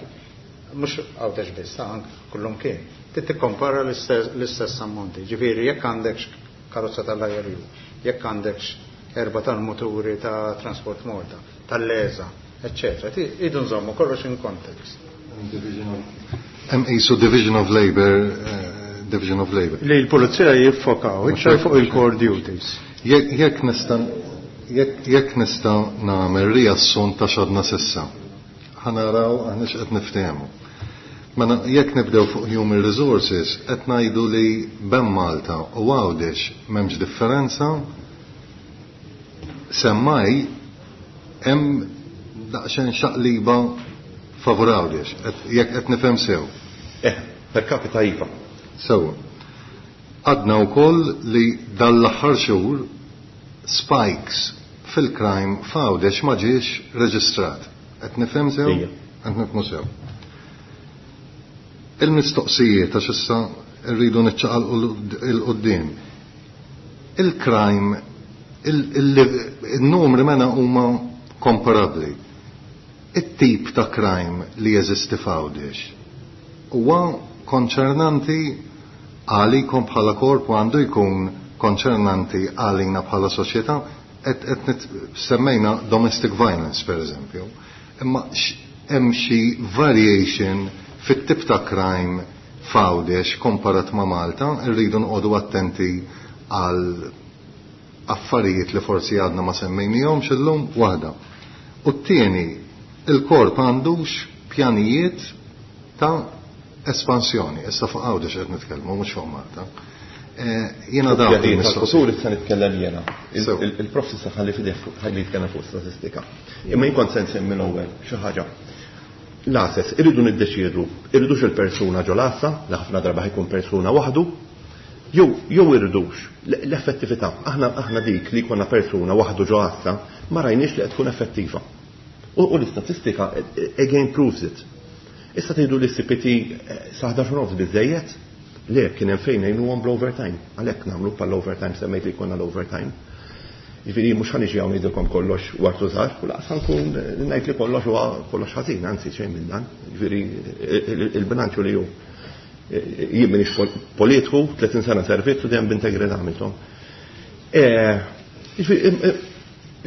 mhux Għawdex biss, anke kullum kien, trid tikkompara l-istess ammonti. Ġifieri jekk għandek karozza tal-I R U, jekk għandek erba tal-muturi ta' Transport Malta, tal-Leza, eccetera. Idu nżommu kollox in context. Hemm qisu division of labor, division of labor. Li l-pulizija jiffokaw iktar fuq il-core duties. Jekk nista' jekk nista' nagħmel riassunt ta' x'għadna s'issa. Ħa naraw aħna x'qed niftehmu. Mela jekk nibdew fuq human resources qed ngħidu li bejn Malta u Għawdex m'hemmx differenza, semmaj hemm daqsxejn xaqliba favur Għawdex, jekk qed nifhem sew. Eh, per capita iva. Sewwa. Għadna wkoll li dal-aħħar xhur spikes fil-crime f'Għawdex ma ġiex reġistrat. Qed nifhem sew? Qed nifhmu sew. Il-mistoqsijiet għax issa rridu niċċaqalqu il-qudiem. Il-crime, il-numri mena huma komparabbli. It-tip ta' crime li jeżisti f'Għawdex huwa konċernanti għalikom bħala korp u għandu jkun konċernanti għalina bħala soċjetà. Qed semmejna domestic violence per eżempju, imma hemm xi variation fit-tip ta' crime f'Għawdex komparat ma' Malta, rridu noqogħdu attenti għal affarijiet li forsi għadna ma semmejnihomx illum waħda. U t-tieni, il-korp għandux pjanijiet ta' espansjoni. Issa fuq Għawdex qed nitkellmu, mhux fuq Malta. Jiena dawn il-mistoqsijiet issa nitkellem jiena. Il-prof issa ħalli fideh ħalli jitkellem fuq statistika. Imma jien kont se nsemmi l-ewwel xi ħaġa. L-għases, irridu niddeċiedu, irridux il-persuna ġo l-għassa, li ħafna darba ħajkun persuna waħdu, jew jew irridux l-effettività. Aħna aħna dik li jkollna persuna waħdu ġo għassa, ma rajniex li qed tkun effettiva. U l-istatistika again proves it. Issa tgħidu li C P T sa ħdax u nofs biżejjed? Le, kien hemm fejn ngħinuhom bl-overtime. Għalhekk nagħmlu bħall-overtime, semmejt li jkollna l-overtime. Jiġifieri mhux ħa niġi hawn ngħidilkom kollox wartu żgħar, u laqas ħankun ngħid li kollox huwa kollox ħażin, anzi xejn minn dan. Jiġifieri il-bilanċju li hu jien m'iniex politiku, tletin sena servizz u dejjem b'integrità għamilthom. Jiġifieri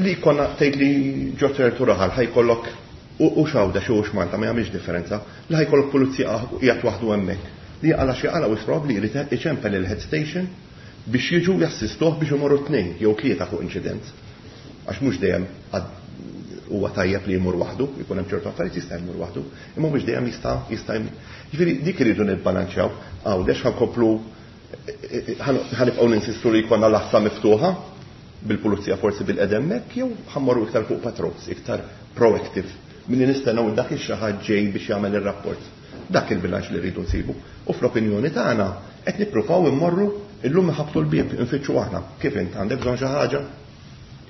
li konna tgħid li ġo ċertu raħal ħajkollok u x'Għawdex u x'Malta ma jagħmilx differenza, li ħajkollok pulizija qiegħed waħdu hemmhekk. Li għala xi għala wis probabbli jrid iċempel il-head station biex jiġu jassistuh biex imorru tnejn jew tlieta fuq inċident. Għax mhux dejjem huwa tajjeb li jmur waħdu, jkun hemm ċertu affarijiet jista' jmur waħdu, imma mhux dejjem jista' jista' jmur. Jiġifieri dik iridu nibbalanċjaw, Għawdex ħankomplu ħanibqgħu ninsistu li jkollna l-għassa miftuħa bil-pulizija forsi bil-qedem hekk, jew ħammorru iktar fuq patrols, iktar proactive, milli nistennew dak ix-xi ħadd ġej biex jagħmel ir-rapport. Dak il-bilanċ li rridu nsibu. U fl-opinjoni tagħna qed nippruvaw immorru illum iħabtu l-bieb infittxu aħna. Kif int għandek bżonn xi ħaġa?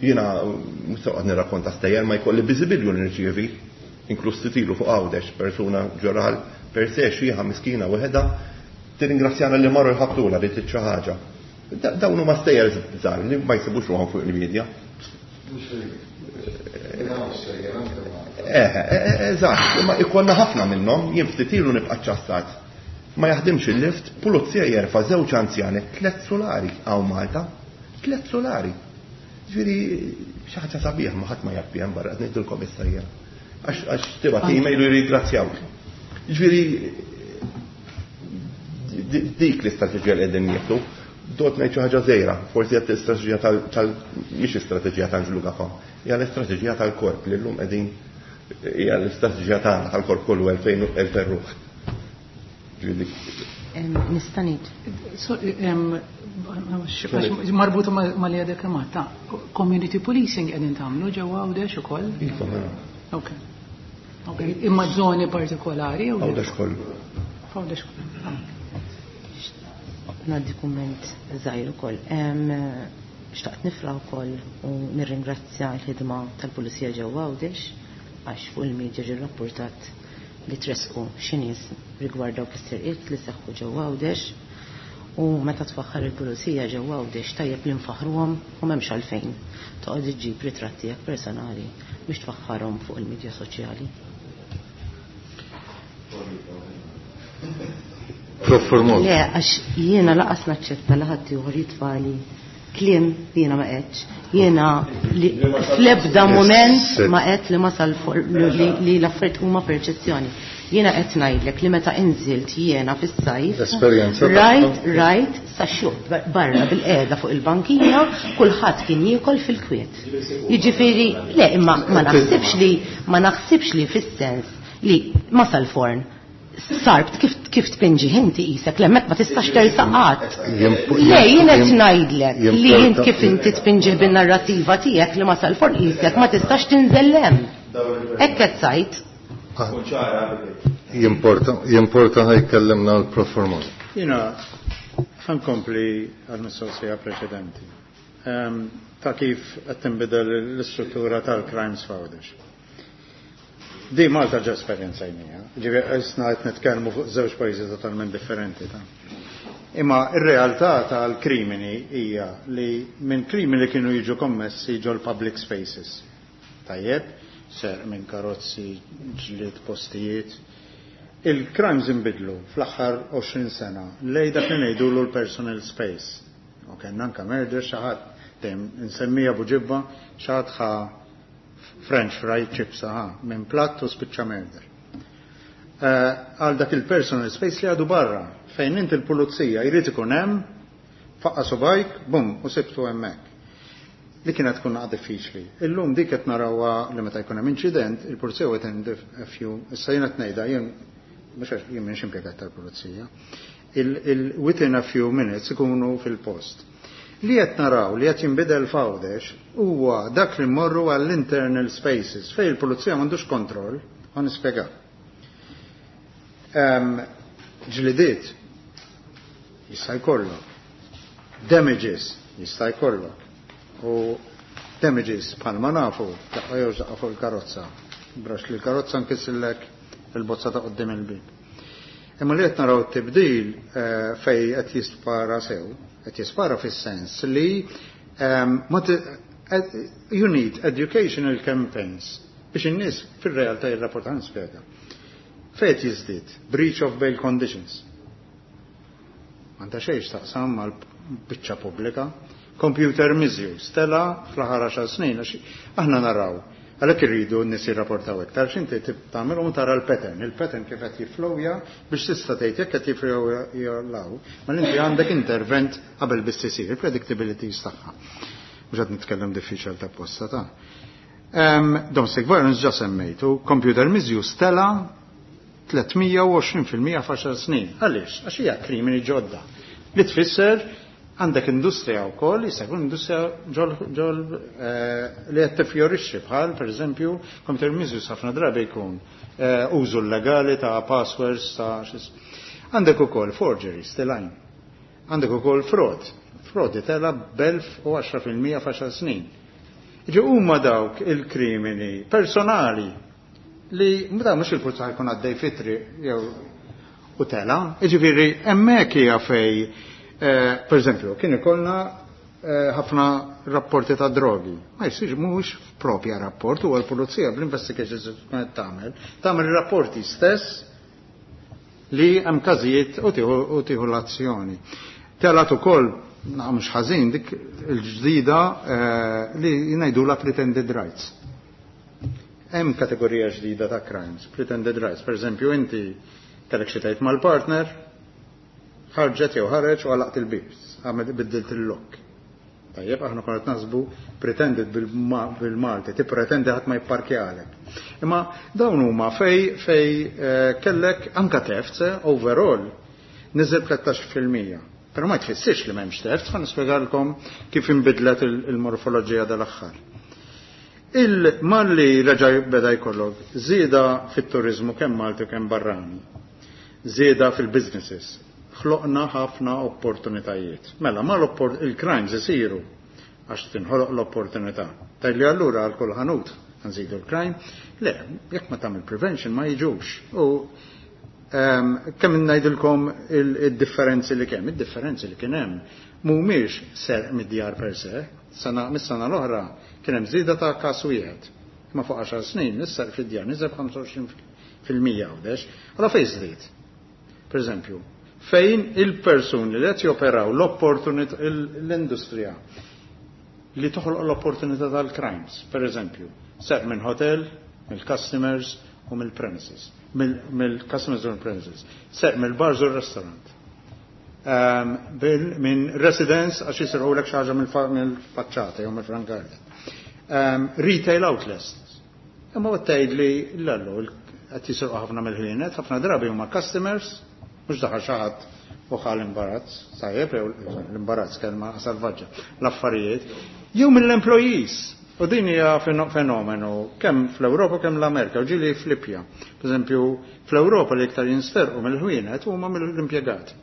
Jiena mhux se noqgħod nirrakkonta stejjer ma jkolli biżibilju li nirċievi, inkluż titilu fuq Għawdex, persuna ġoral per se xieħa miskina weħeda, tirringrazzjana li marru jħabtula li trid xi ħaġa. Dawn huma stejjer żgħar li ma jsibux ruħhom fuq il-medja. Eh, eżatt, imma ikollna ħafna minnhom, jien ftit ilu nibqa' ċassat. Ma jaħdimx il-lift, pulizija jerfa' żewġ anzjani, tliet solari hawn Malta, tliet solari. Ġifieri xi ħaġa sabiħ ma ħadd ma jaf biha barra qed ngħidilkom issa jien. Għax tibgħat email u jirringrazzjawk. Ġifieri dik l-istrateġija li qegħdin nieħdu, dot ngħid xi ħaġa żgħira, forsi qed l-istrateġija tal mhix istrateġija ta' Anġlu Gafà, hija l-istrateġija tal-korp li llum qegħdin hija l-istrateġija tagħna tal-korp kollu elfejn ruħ. Nista' ngħid. Marbuta ma' li għadek kemm ta' community policing qegħdin tagħmlu ġewwa Għawdex ukoll? Iva, mela. Ok. Imma żoni partikolari? Għawdex kollu. Għawdex kollu. Ngħaddi kumment żgħir ukoll. Xtaqt nifraħ ukoll u nirringrazzja l-ħidma tal-Pulizija ġewwa Għawdex għax fuq il-medja ġie rrapportat li tresqu xi nies rigward dawk is-serqiet li seħħu ġewwa Għawdex u meta tfaħħar il-Pulizija ġewwa Għawdex tajjeb li nfaħruhom u m'hemmx għalfejn toqgħod iġġib ritratti tiegħek personali biex tfaħħarhom fuq il-medja soċjali. Le, għax jiena laqas naċċetta li ħadd ieħor jitfali kliem li jiena ma qedx. Jiena li fl-ebda mument ma qed li ma sal li l-affarijiet huma perċezzjoni. Jiena qed ngħidlek li meta inżilt jiena fis-sajf. Rajt, rajt, sa xjuħ barra bil-qiegħda fuq il-bankina, kulħadd kien jiekol fil-kwiet. Jiġifieri, le, imma ma naħsibx li ma naħsibx li fis-sens li ma sal-forn sarbt kif kif tpinġi inti qisek l-hemmhekk ma tistax tersaq qatt. Le, jien qed ngħidlek li jien kif inti tpinġi bin-narrattiva tiegħek li ma sal-forn qisek ma tistax tinżel hemm. Hekk qed sajt. Jimporta, jimporta ħajkellimna l-Prof Formosa. Jiena ħankompli għall-mistoqsija preċedenti. Ta' kif qed tinbidel l-istruttura tal-crimes f'Għawdex. Di Malta ġa esperjenzajnija, ġifieri isna qed nitkellmu fuq żewġ pajjiżi totalment differenti ta'. Imma ir-realtà tal-krimini hija li minn krimini li kienu jiġu kommessi ġol public spaces. Tajjeb, ser minn karozzi, ġlied, postijiet. Il-crimes inbidlu fl-aħħar għoxrin sena lej dak li ngħidulu l-personal space. U kellna anke murder xi ħadd dejjem insemmija Buġibba, xi ħadd ħa French fry chips aha, minn platt u spiċċa murder. Għal dak il-personal space li għadu barra, fejn inti l-pulizija jrid ikun hemm, faqqa subajk, bum, u sibtu hemmhekk. Li kienet tkun naqra diffiċli. Illum dik qed narawha li meta jkun hemm inċident, il-pulizija within a few, issa jien qed ngħidha, jien mhux għax jien m'iniex impjegat tal-pulizija. Il within a few minutes ikunu fil-post. Li qed naraw li qed jinbidel f'Għawdex huwa dak li mmorru għall-internal spaces fejn il-pulizija m'għandux kontroll, ħa nispjega. Ġlidiet jista' jkollok, damages jista' jkollok. U damages bħalma nafu daqqa jew daqqa fuq il-karozza. Brax li l-karozza nkissillek il-bozza ta' quddiem il-bieb. Imma li qed naraw t-tibdil fej qed jispara sew, qed jispara fis-sens li you need educational campaigns biex in-nies fir-realtà jirrapportaw nispjega. Fejn qed jiżdied breach of bail conditions. M'għandha xejn x'taqsam mal-biċċa pubblika. Computer misuse, tela fl-aħħar għaxar snin, għax aħna naraw. Għalhekk irridu n-nies jirrapportaw iktar, x'inti tagħmel u tara l-pattern, il-pattern kif qed jifflowja biex tista' tgħid jekk qed jifflowja ma inti għandek intervent qabel biss isir, il-predictability tagħha. Mhux qed nitkellem diffiċil ta' posta ta'. Domestic violence ġa semmejtu, computer misuse tela tliet mija u għoxrin fil-mija f'għaxar snin. Għaliex? Għax hija krimini ġodda. Li tfisser Għandek industrija wkoll, jista' jkun industrija ġol, ġol eh, li qed tifjorixxi bħal pereżempju computer misuse ħafna drabi jkun eh, użu legali ta' passwords ta' xis. Għandek ukoll forgeries telgħin. Għandek ukoll fraud. Fraud tela b'elf u għaxra fil-mija f'għaxar snin. Ġi huma dawk il-krimini personali li meta mhux il-pulizija jkun għaddej fit-triq jew u tela. Jiġifieri hemmhekk hija fej eh, per eżempju, kien ikollna eh, ħafna rapporti ta' drogi. Ma jsirx mhux propja rapport, huwa l-pulizija bl-investigations tkun qed tagħmel, tagħmel rapporti stess li hemm każijiet u tieħu u tieħu l-azzjoni. Telat ukoll mhux ħażin dik il-ġdida eh, li ngħidulha pretended rights. Hemm kategorija ġdida ta' crimes, pretended rights. Per eżempju, inti kellek xi tgħid mal-partner, ħarġet jew ħareġ u għalaqt il-bib, għamel biddilt il-lock. Tajjeb, aħna konna naħsbu pretended bil-Malti, tippretendi ħadd ma jipparkjalek. Imma dawn huma fej fej eh, kellek anka thefts eh, overall niżel tlettax fil-mija. Però ma tfissirx li m'hemmx thefts, ħa nispjegalkom kif inbidlet il-morfoloġija dal-aħħar. Il-malli reġa' beda jkollok żieda fit-turizmu kemm Malti u kemm barrani, żieda fil-businesses, ħloqna ħafna opportunitajiet. Mela, ma il-crimes isiru għax tinħoloq l-opportunità. Tgħidli allura għal kull ħanut nżidu l-crime? Le, jekk ma tagħmel prevention ma jiġux. U ehm, kemm ngħidilkom il-differenzi li kemm, id-differenzi li kien hemm mhumiex serq mid-djar per se, sena mis-sena l-oħra kien hemm żieda ta' każ wieħed. Imma fuq għaxar snin is-serq fid-djar niżel ħamsa u għoxrin fil-mija Għawdex. Allora fejn żdied? Per eżempju, fejn il-persuni li qed joperaw l-opportunità l-industrija li toħloq l-opportunità tal-crimes, per eżempju, serq minn hotel, mill-customers u mill-premises, mill-customers u mill-premises, serq mill-bars u restaurant. Ehm, minn residence għax jisirqu lek xi ħaġa mill-faċċata jew mill-front garden. Ehm, retail outlets. Imma tgħid li l-allu qed jisirqu ħafna mill-ħwienet, ħafna drabi huma customers, mhux daħal xi ħadd u ħa l-imbarazz, sajjeb, jew l-imbarazz kelma salvaġġa, l-affarijiet, jew mill-employees. U din hija fenomenu kemm fl-Ewropa kemm l-Amerika, u ġieli flippja. Per eżempju, fl-Ewropa li iktar jinsterqu mill-ħwienet huma mill-impjegati.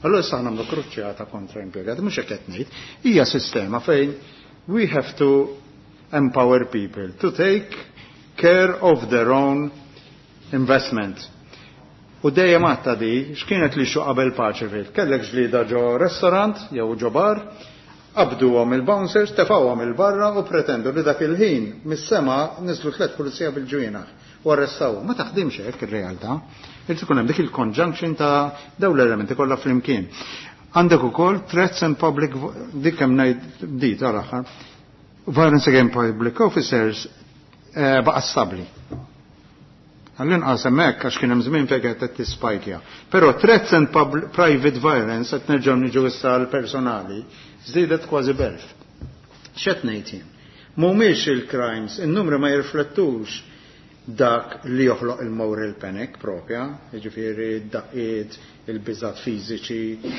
Allora issa nagħmlu kruċjata kontra impjegati, mhux hekk qed ngħid, hija sistema fejn we have to empower people to take care of their own investment. U dejjem għatta di, x'kienet li xu qabel Paceville? Kellek ġlida ġo restaurant jew ġo bar, qabduhom il-bouncers, tefawhom il-barra u pretendu li dak il-ħin mis-sema niżlu tliet pulizija bil-ġwienaħ u arrestawhom. Ma taħdimx hekk ir-realtà. Irid ikun hemm dik il-conjunction ta' dawn l-elementi kollha flimkien. Għandek ukoll threats and public, dik hemm ngħid di tal-aħħar. Violence against public officers, eh, baqa' stabbli. Għall-inqas hemmhekk għax kien hemm żmien fejn qed tispajkja. Però threats and private violence qed nerġgħu niġu issa l-personali żdiedet kważi b'elf. X'qed ngħid jien? Mhumiex il-crimes, in-numri ma jirriflettux dak li joħloq il-moral panic propja, jiġifieri d-daqqiet, il-biżat fiżiċi,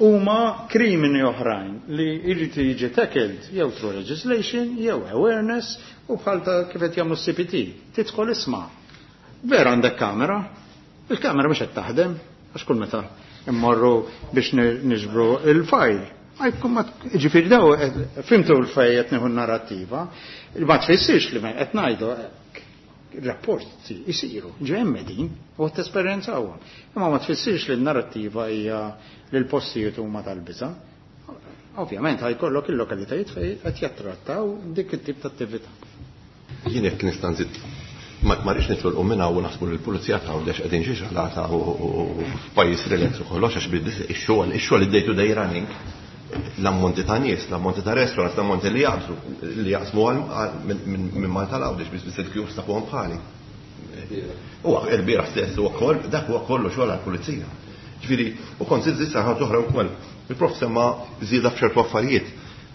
huma krimini oħrajn li jrid jiġi tackled jew through legislation jew awareness u bħal ta' kif qed jagħmlu C P T. Tidħol isma'. Vera għandek kamera, il-kamera mhux qed taħdem, għax kull meta immorru biex niġbru il-fajl. Ġifieri daw, fimtu l-fej qed nieħu narrattiva, ma tfissirx li qed ngħidu rapporti jisiru, ġew din u qed tesperjenzawhom. Imma ma tfissirx li n-narrattiva hija li l-postijiet huma tal-biża'. Ovvjament ħajkollok il-lokalitajiet fejn qed jattrattaw dik it-tip ta' attività. Jien jekk nista' nżid ma rridx nitolqu minn hawn u naħsbu li l-pulizija ta' Għawdex qegħdin xi xalata u f'pajjiż relax u kollox, għax ix-xogħol, ix-xogħol id-day to day running, l-ammonti ta' nies, l-ammonti ta' restaurants, l-ammonti li jaqbżu, li jaqsmu minn Malta l-Għawdex biex biss il-kjus ta' fuqhom bħali. Huwa il-bieraħ stess huwa koll, dak huwa kollu xogħol għall-pulizija. Ġifieri, u kont żied issa ħaġa oħra wkoll. Il-prof semma żieda f'ċertu affarijiet.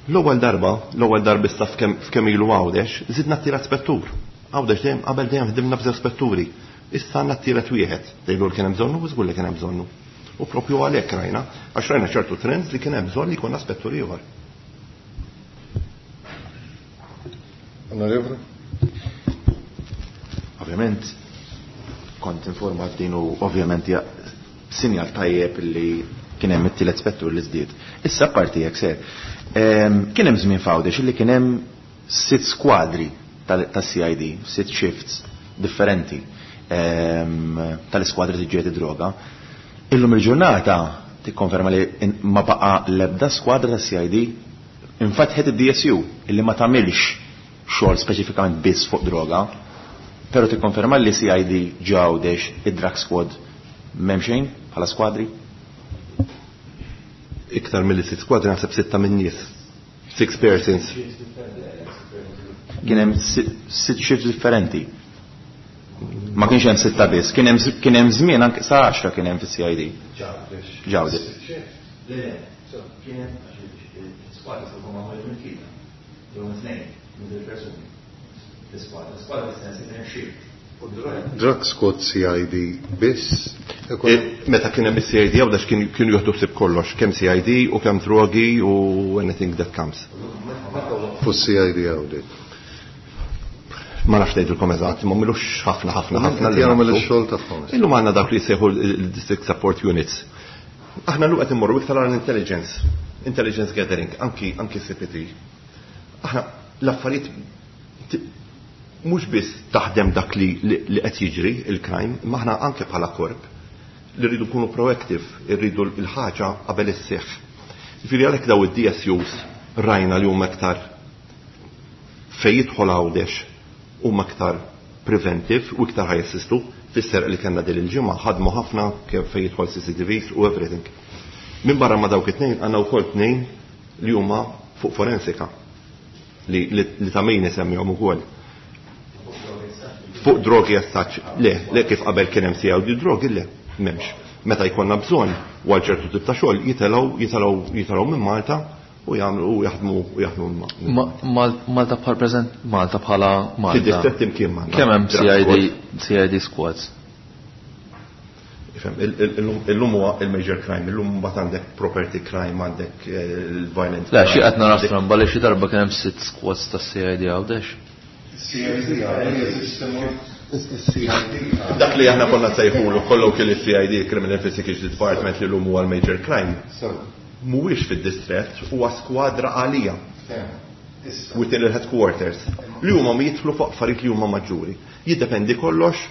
L-ewwel darba, l-ewwel darba issa f'kemm ilu Għawdex, żidna t-tielet spettur. Għawdex dejjem qabel dejjem ħdimna b'żewġ spetturi. Issa għandna t-tielet wieħed. Tgħidu li kien hemm bżonnu, u żgur li kien hemm bżonnu. U propju għalhekk rajna, għax rajna ċertu trends li kien hemm bżonn li jkun spettur ieħor. Onorevole? Ovvjament kont informat din u ovvjament sinjal tajjeb li kien hemm it-tielet spettur li żdied. Issa parti jekk ser. Kien hemm żmien f'Għawdex li kien hemm sitt skwadri tas-C I D, sitt shifts differenti tal-iskwadri tiġġieled id-droga. Illum il-ġurnata tikkonferma li ma baqa l-ebda skwadra tas-C I D, infatħet id-D S U illi ma tagħmilx xogħol speċifikament biss fuq droga, però tikkonferma li C I D Għawdex id-drug squad m'hemm xejn bħala skwadri? Iktar milli sitt skwadri naħseb sitta minn nies. Six persons. Kien hemm sitt shifts differenti. Ma kienx hemm sitta biss, kien hemm kien hemm żmien anke sa għaxra kien hemm fis-C I D. Ġawdex. Le, le, kien hemm skwadri se jkunu magħmulin minn tlieta. Jew minn tnejn, minn tliet persuni. L-iskwadra, l-iskwadra fis-sens kien hemm shift. Drug squad C I D biss? Meta kien hemm is-C I D Għawdex kienu jieħdu ħsieb kollox, kemm C I D u kemm drogi u anything that comes. Fu C I D Għawdex. Ma nafx ngħidilkom eżatt, ma milux ħafna, ħafna, ħafna li Jagħmel nafu. ix-xogħol tagħhom. Illum għandna dawk li jsejħu l-district support units. Aħna llum qed immorru iktar għal intelligence, intelligence gathering, anki, anki C P T. Aħna l-affarijiet mhux biss taħdem dak li, li, li qed jiġri il-crime, imma aħna anke bħala korp li rridu nkunu proactive, irridu l-ħaġa qabel isseħħ. Jiġifieri għalhekk daw id-D S Us rajna li huma iktar fejn jidħol Għawdex huma iktar preventive u iktar ħajassistu fis-serq li kellna din il-ġimgħa ħadmu ħafna kemm fejn jidħol C C T Vs u everything. Minn barra ma dawk it-tnejn għandna wkoll tnejn li huma fuq forensika li, li, li ta' min isemmihom ukoll. Fuq drogi as such, le, le kif qabel kien hemm C I D drogi, le, m'hemmx. Meta jkollna bżonn u għal ċertu tip ta' xogħol jitilgħu, jitilgħu, jitilgħu minn Malta u jagħmlu u jaħdmu u jaħdmu ma-, Ma-, Mal-, Malta bħal preżent, Malta bħala Malta. Fid-distrett imkien m'għandna. Kemm hemm Drug C I D, squad. C I D squads? Ifhem, il-, il-, illum, illum huwa il-major crime, illum mbagħad għandek property crime, għandek, eh, il-violent Le, xi crime. qed nara stramba li xi darba kien hemm sitt squads tas C I D Għawdex. C I D C I D. Dak li aħna konna sejħulu colloquially C I D, Criminal Investigation Department, li llum huwa l-major crime. Mhuwiex fid-distrett, huwa skwadra għalija. Within il-headquarters. Li huma ma jidħlu fuq affarijiet li huma maġġuri. Jiddependi kollox,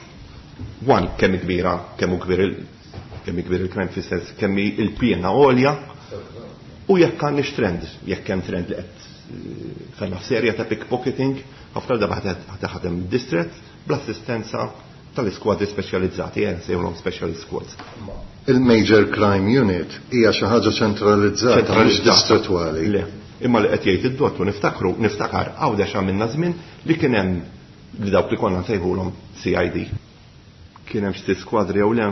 one, kemm kbira, kemm hu kbir il-, kemm kbir il-crime fis-sens, kemm hi il-piena għolja, u jekk għandix trend, jekk hemm trend li qed kellna f'serja ta' pickpocketing, ħafna darba ħa taħdem id-distrett bl-assistenza tal-iskwadri speċjalizzati, eh, sejħulhom specialist squads. Il-Major Crime Unit hija xi ħaġa ċentralizzata, mhux Ċentralizzata. distrettwali. Le, imma li qed jgħid id-dottu niftakru, niftakar Għawdex għamilna żmien li kien hemm li dawk li konna nsejħulhom C I D. Kien hemm xi skwadri jew le,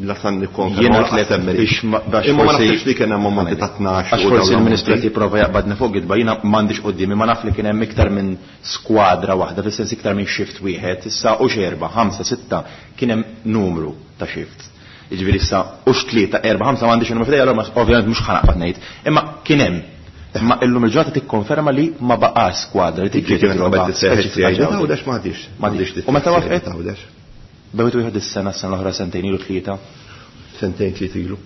la san nikkonferma Jiena u lanqas tliet semmi. biex ma-, biex Imma ma forsi naħsibx li kien hemm ammonti ta' tnax Għax u forsi dawn l-ammonti. il-Ministru qed jipprova jaqbadni fuq gidba, jiena m'għandix quddiemi, ma naf li kien hemm iktar minn skwadra waħda, fis-sens iktar minn shift wieħed, issa u x'erba', ħamsa, sitta, kien hemm numru ta' shifts. Jiġifieri issa u x'tlieta, erba', ħamsa m'għandix numru f'idejja, allura ma-, ovvjament mhux ħanaqbad ngħid. Imma kien hemm. Imma illum il-ġurnata tikkonferma li ma baqax skwadra li tiġi Kien hemm droga qabel tisseħħ speċifika C I D ġewwa. Għawdex m'għadix. M'għadix. M'għadix U meta tisseħħ waqfet? Għawdex. Bdejtu wieħed is-sena, s-sena l-oħra, sentejn ilu, tlieta. Sentejn tliet ilu.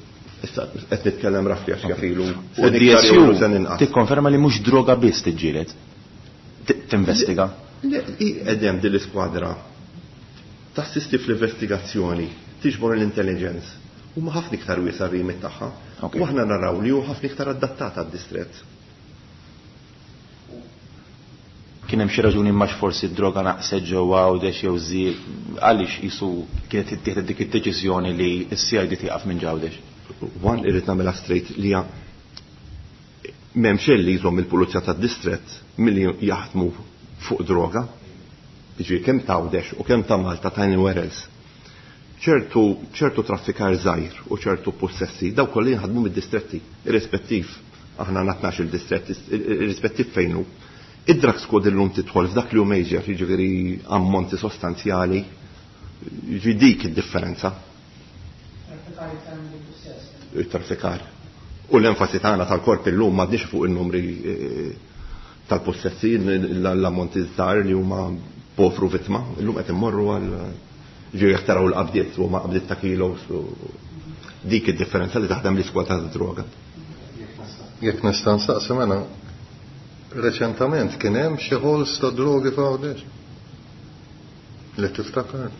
Issa qed nitkellem rafli għax jaf ilu. U Sen D S iktar U jew sen inqas. tikkonferma li mhux droga biss tiġġieled. T-, tinvestiga. Le, i qegħdem din l-iskwadra tassisti fl-investigazzjoni, tiġbor l-intelligence. Huma ħafna iktar wiesa' r-rimit tagħha. Ok. U aħna naraw li hu ħafna iktar adattata għad-distrett. Kien hemm xi raġuni ma forsi d-droga naqset ġewwa Għawdex jew żied, għaliex qisu kienet ittieħdet dik id-deċiżjoni li s-C I D tieqaf minn Għawdex? One, irrid nagħmilha straight li hija m'hemmx li jżomm il-pulizija tad-distrett milli jaħdmu fuq droga. Jiġifieri kemm ta' Għawdex u kemm ta' Malta ta' anywhere else. ċertu, ċertu traffikar żgħir u ċertu possessi, daw kollha jinħadmu mid-distretti, irrispettiv, aħna għandna tnax il-distrett, irrispettiv fejn hu. Id-drug squad illum tidħol f'dak li hu major, jiġifieri ammonti sostanzjali, jiġifieri dik id-differenza. it-traffikar. U l-enfasi tagħna tal-korp illum m'għadniex fuq in-numri tal-possessi, l-ammonti żgħar li huma povru vittma, illum qed immorru għal ġew jekk taraw l-qabdiet huma qabdiet ta' kilos u dik id-differenza li taħdem l-iskwadra tad-droga. Jekk nista' nsaqsi mela, reċentament kien hemm xi ħols ta' drogi f'Għawdex? Li tiftakar?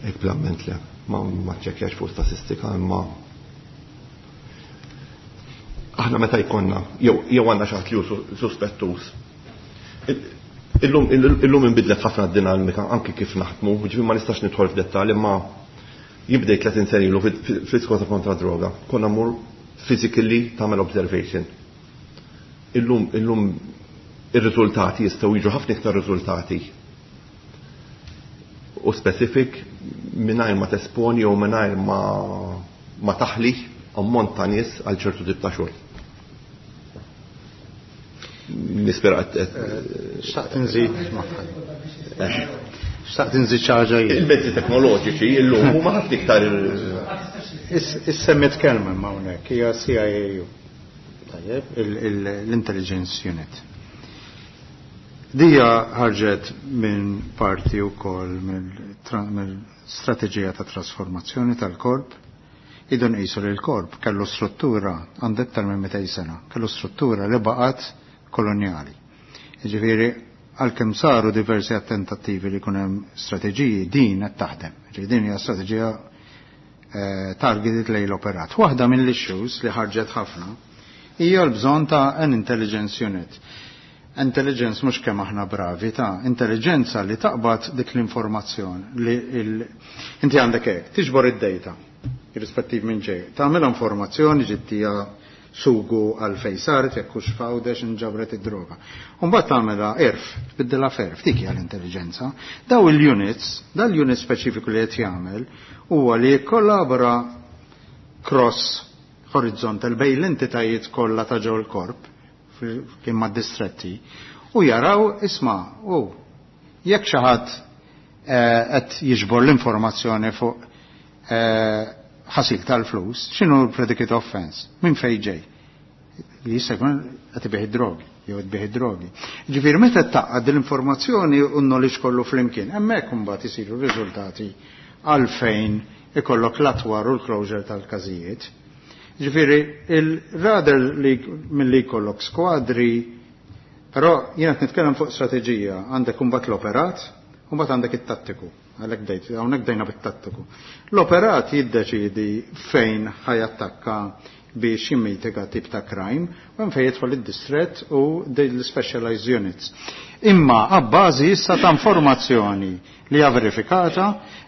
Hekk bl-amment le, ma ma ċċekkjax fuq statistika imma aħna meta jkollna jew jew għandna xi ħadd li hu suspettuż. Illum illum inbidlet ħafna d-dinamika anki kif naħdmu, ġifieri ma nistax nidħol f'dettall imma jibdej tletin sena ilu fl-iskwadra kontra droga. Konna mmur physically tagħmel observation. Illum illum ir-riżultati jistgħu jiġu ħafna iktar riżultati u specific mingħajr ma tesponi jew mingħajr ma ma taħli ammont ta' nies għal ċertu tip ta' xogħol. Nispera qed Xtaqt inżid magħha. Xtaqt inżid xi ħaġa jien. Il-mezzi teknoloġiċi illum huma ħafna iktar Is-semmit kelma ma hawnhekk hija C I A U. Tajjeb, l-Intelligence Unit. Dija ħarġet minn parti wkoll mill-strateġija ta' trasformazzjoni tal-korp. Idu nqisu li l-korp kellu struttura għandu iktar minn mitejn sena, kellu struttura li baqgħet kolonjali. Jiġifieri għalkemm saru diversi attentattivi li jkun hemm strateġiji, din qed taħdem. Jiġifieri din hija strateġija, eh, targeted lejn l-operat. Waħda mill-issues li ħarġet ħafna hija l-bżonn ta' an intelligence unit. Intelligence mhux kemm aħna bravi ta' intelligenza li taqbad dik l-informazzjoni li il-, inti għandek hekk, tiġbor id-data irrispettiv minn ġej. Tagħmel informazzjoni ġittija sugu għal fejn saret jekk hux f'Għawdex inġabret id-droga. U mbagħad tagħmilha erf, tbiddilha f'erf, dik hija l-intelligenza. Daw il-units, dal-unit speċifiku li qed jagħmel huwa li jikkollabora cross horizontal bejn l-entitajiet kollha ta' ġew il-korp kien ma' distretti u jaraw isma' u jekk xi ħadd, eh, qed jiġbor l-informazzjoni fuq, eh, ħasil tal-flus, x'inhu l-predicate offense? Min fejn ġej? Li jista' jkun qed ibih id-drogi, jew qed ibih id-drogi. Ġifieri meta taqgħad l-informazzjoni u n-knowledge kollu flimkien, hemmhekk imbagħad isiru riżultati għalfejn ikollok l-atwar u l-closure tal-każijiet. Ġifieri il-rather li milli jkollok skwadri, però jiena qed nitkellem fuq strateġija, għandek imbagħad l-operat, u mbagħad għandek it-tattiku. Għalhekk bdejt, hawnhekk bdejna bit-tattiku. L-operat jiddeċiedi fejn ħajattakka biex jimmitiga tip ta' crime, u hemm fejn jidħol id-distret u l-specialized units. Imma abbażi issa ta' informazzjoni li hija verifikata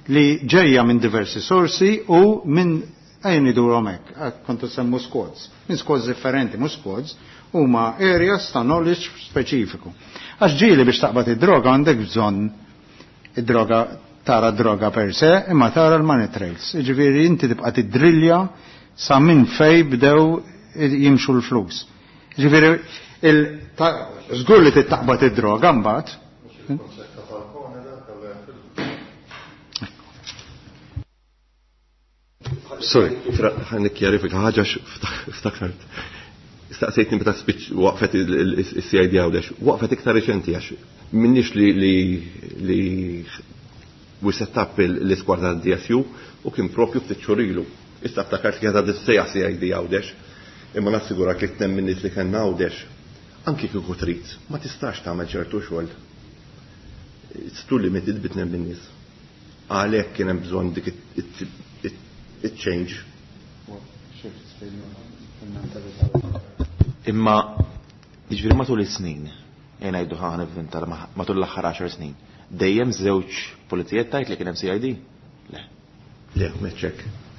li ġejja minn diversi sorsi u minn ejn idurhom hekk, kontu semmu squads, minn squads differenti, mhux squads, huma areas ta' knowledge speċifiku. Għax ġieli biex taqbad id-droga għandek bżonn id-droga tara droga per se, imma tara l-money trails. Jiġifieri inti tibqa' tiddrilja sa minn fej bdew jimxu l-flus. Jiġifieri il-, ta-, żgur li tittaqbad id-droga mbagħad. Sorry, ħa nikkjarifika ħaġa ftakart. Staqsejtni meta spiċ waqfet il-C I D Għawdex, waqfet iktar reċenti għax minnix li, li, li we set up l-iskwadra D S U u kien propju ftit xhur ilu. Issa ftakart li għadha dissejja C I D Għawdex, imma nassigurak li tnem minn nies li kellna Għawdex, anki kieku trid, ma tistax tagħmel ċertu xogħol. It's too limited bit tnem minn nies. Għalhekk kien hemm bżonn dik it-change. Imma jiġifieri matul is-snin, jien ngħidu ħa nivvinta matul l-aħħar għaxar snin, dejjem żewġ pulizijiet tajt li kien hemm C I D? Le. Le, meċċek.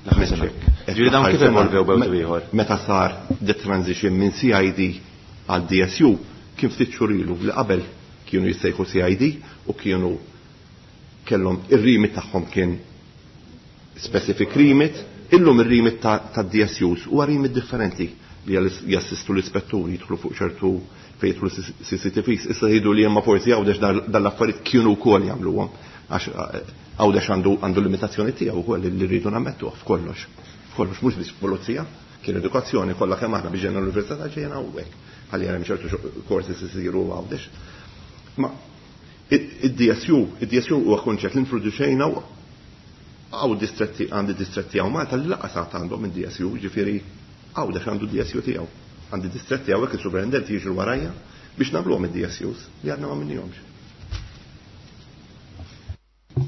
L-aħħar sena. Meċċek. Ġifieri dawn kif L-aħħar sena. evolvew bew ieħor? Meta sar the transition minn C I D għal D S U kien ftit xhur ilu li qabel kienu jissejħu C I D u kienu kellhom ir-remit tagħhom kien specific remit, illum ir-remit ta', ta' D S Us huwa remit differenti li jassistu l-ispetturi jidħlu fuq ċertu fejn jidħlu C C T Vs. Issa jgħidu li hemm forsi Għawdex dan l-affarijiet kienu wkoll jagħmluhom għax, eh, Għawdex għandu, għandu limitazzjoni tiegħu wkoll li rridu nammettuh f'kollox. Kollox mhux biss pulizija, kien edukazzjoni kollha kemm aħna biex ġejna l-università ġejna hawnhekk. Ħalli hemm ċertu courses isiru Għawdex. Ma id-D S U, id-D S U huwa kunċett li introduċejna għaw distretti, għandi distretti għaw Malta li lanqas għandhom id-D S U, ġifieri Għawdex għandu D S U tiegħu. Għandi distretti hawnhekk il-superintendent jiġru warajja biex nagħmluhom id-D S Us li għadna ma minnihomx.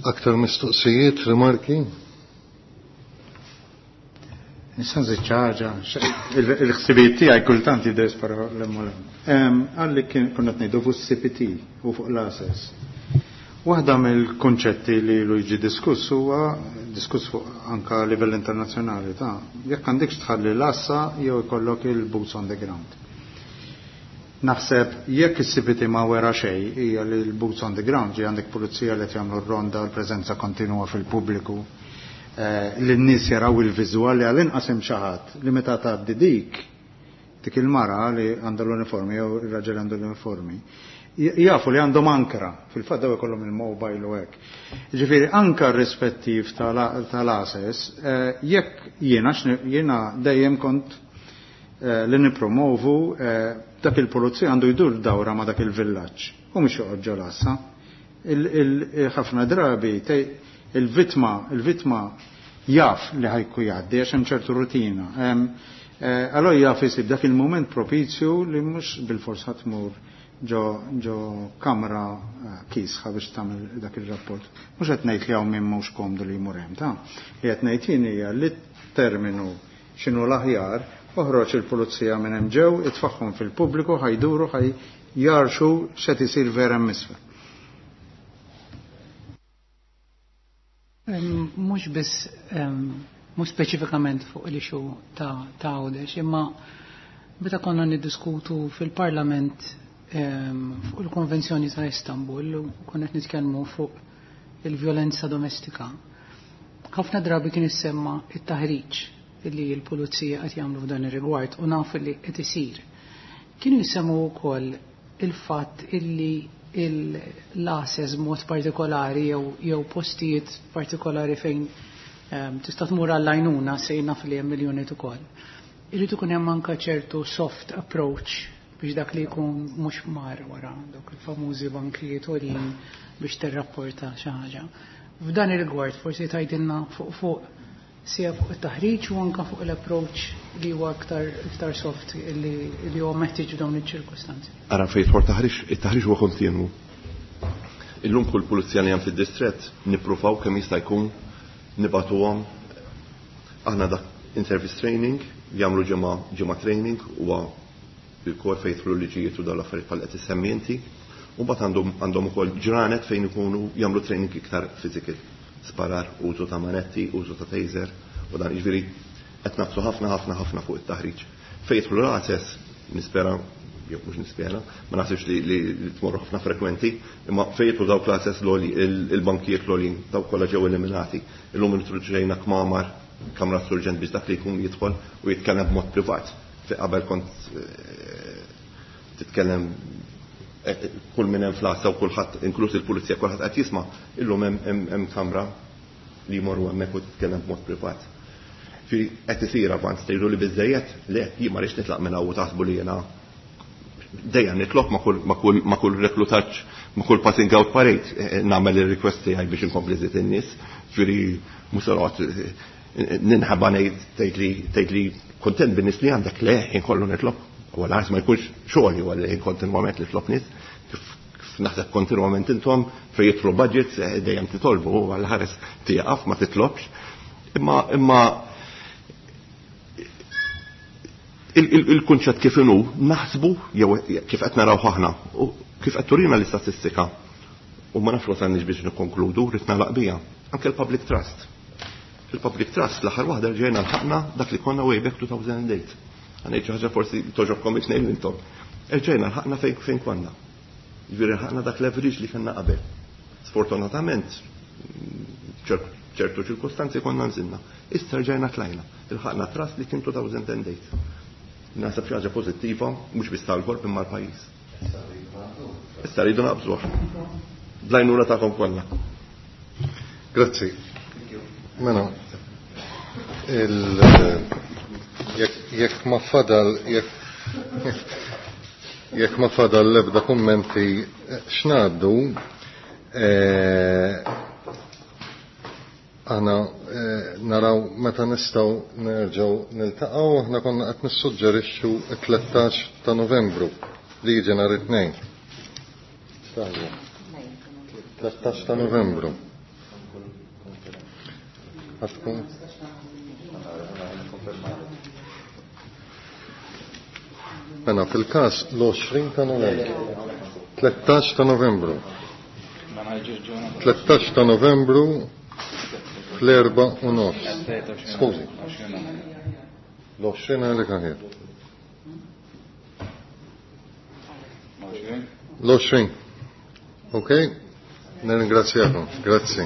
Aktar mistoqsijiet, rimarki? Nista' nżid xi ħaġa, il-ħsibijiet tiegħi kultant jidher spara l Għalli kien konna ngħidu fuq C P T u fuq l-A S S. Waħda mill-konċetti li lu jiġi diskuss huwa diskuss fuq anka livell internazzjonali ta' jekk għandekx tħalli l-assa jew ikollok il-boots on the ground. Naħseb jekk is-C P T ma wera xejn hija li l-boots on the ground ġi għandek pulizija li qed jagħmlu ronda, l-preżenza kontinwa fil-pubbliku, eh, li n-nies jaraw il-viżwal li għall-inqas hemm xi ħadd li meta tgħaddi dik dik il-mara li għandha l-uniformi jew ir-raġel għandu l-uniformi jafu li għandhom ankra, fil-fatt daw ikollhom il-mobile u hekk. Ġifieri anka rispettiv tal-A S S, eh, jekk jiena jiena dejjem kont eh, li nipromovu dak il-pulizija għandu jdur dawra ma dak il-villaġġ u mhux joqgħod ġol-għassa. Ħafna drabi il-vitma il-vitma jaf li ħajku jgħaddi għax hemm ċertu rutina. Eh, allora jaf isib dak il-moment propizju li mhux bil-fors tmur ġo, ġo kamra eh, kisħa biex tagħmel dak ir-rapport. Mhux qed ngħid li hawn min mhux komdu li jmur hemm ta' li qed ngħid jien hija li terminu x'inhu l-aħjar, oħroġ il-pulizija minn hemm ġew, itfaħħhom fil-pubbliku, ħajduru, ħaj jarxu x'qed isir vera misfel. Mhux biss, mhux speċifikament fuq l-issue ta' Għawdex, imma meta konna niddiskutu fil-Parlament fuq il-Konvenzjoni ta' Istanbul u konna qed nitkellmu fuq il-vjolenza domestika. Ħafna drabi kien issemma it-taħriġ li l-pulizija qed jagħmlu f'dan ir-rigward u naf li qed isir. Kienu jsemmu wkoll il-fatt illi l-A S S mod partikolari jew postijiet partikolari fejn um, tista' tmur għall-għajnuna, sejna fil hemm miljoni ukoll. Irid ikun hemm anke ċertu soft approach biex dak li jkun mhux mar wara dawk il-famużi bankijiet għolin biex tirrapporta xi ħaġa. F'dan ir-rigward forsi tgħidilna fuq fuq sija fuq it-taħriġ u anke fuq l-approach li huwa aktar iktar soft li li huwa meħtieġ f'dawn iċ-ċirkustanzi. Ara, fejn for taħriġ, it-taħriġ huwa kontinwu. Illum kull pulizija li hemm fid-distrett nippruvaw kemm jista' jkun nibagħtuhom aħna dak in-service training, jagħmlu ġimgħa ġimgħa training, huwa il-kor fejn jidħlu liġijiet u dawn l-affarijiet bħal qed issemmi inti. U mbagħad għandhom għandhom ukoll ġranet fejn ikunu jagħmlu training iktar physical. Sparar, użu ta' manetti, użu ta' taser, u dan jiġifieri qed nagħfsu ħafna ħafna ħafna fuq it-taħriġ. Fejn jidħlu l-A S S, nispera, jew mhux nispera, ma naħsibx li, li, li tmorru ħafna frekwenti, imma fejn jidħlu dawk l-A S S l il-bankijiet l dawk kollha ġew eliminati. Illum introduċejna kmamar, kamra surġent biex dak li jkun jidħol u jitkellem b'mod privat. Fi qabel kont eh, titkellem eh, kull minn hemm fl u kulħadd, inkluż il-pulizija, kulħadd qed jisma', illum hemm kamra li jmorru hemmhekk u titkellem b'mod privat. Fi qed isir avanz. Tgħidu li biżejjed? Le, jien ma rridx nitlaq minn hawn u taħsbu li jiena dejjem nitlob ma' kull ma' kull ma' kull reklutaġġ, ma' kull passing out parade eh, nagħmel ir-request tiegħi biex inkompli żid in-nies. Ġifieri mhux se noqgħod ninħaba ngħid tgħid li tgħid li kontent bin-nies li għandek. Le, inkollu nitlob. U għal ma jkunx xogħol huwa li kontinwament nitlob nies, kif naħseb kontinwament intom fejn jidħlu budgets eh, dejjem titolbu, għal ħares tieqaf ma titlobx. Imma imma il-kunċett kif inhu naħsbu jew kif qed naraw aħna u kif qed turina l-istatistika u ma nafx wasalniex biex nikkonkludu, rrid nagħlaq bija. Anke l-public trust. Il-public trust l-aħħar waħda ġejna lħaqna dak li konna way back two thousand eight. Għanejt xi ħaġa forsi toġobkom it-tnejn intom. Erġejna lħaqna fejn fejn konna. Ġifieri lħaqna dak leverage li kellna qabel. Sfortunatament ċertu ċirkostanzi konna nżilna. Issa rġajna tlajna. Ilħaqna trust li kien two thousand eight. Naħseb xi ħaġa pożittiva mhux biss tal-korp imma l-pajjiż. Issa rridu naqbżuh. Bl-għajnuna tagħkom kollha. Grazzi. Mela, Il jekk ma fadal jekk jekk ma fadal l-ebda kummenti x'ngħaddu, aħna naraw meta nistgħu nerġgħu niltaqgħu. Aħna konna qed nissuġġerixxu t-tlettax ta' Novembru li jiġi nhar it-Tnejn. tlettax ta' Novembru. Għatkun? Mela fil-każ l-għoxrin ta' Novembru. tlettax ta' Novembru. tlettax ta' Novembru fl-erba u nofs. Skużi. L-għoxrin għalik aħjar. L-għoxrin. Ok? Nirringrazzjakom. Grazzi.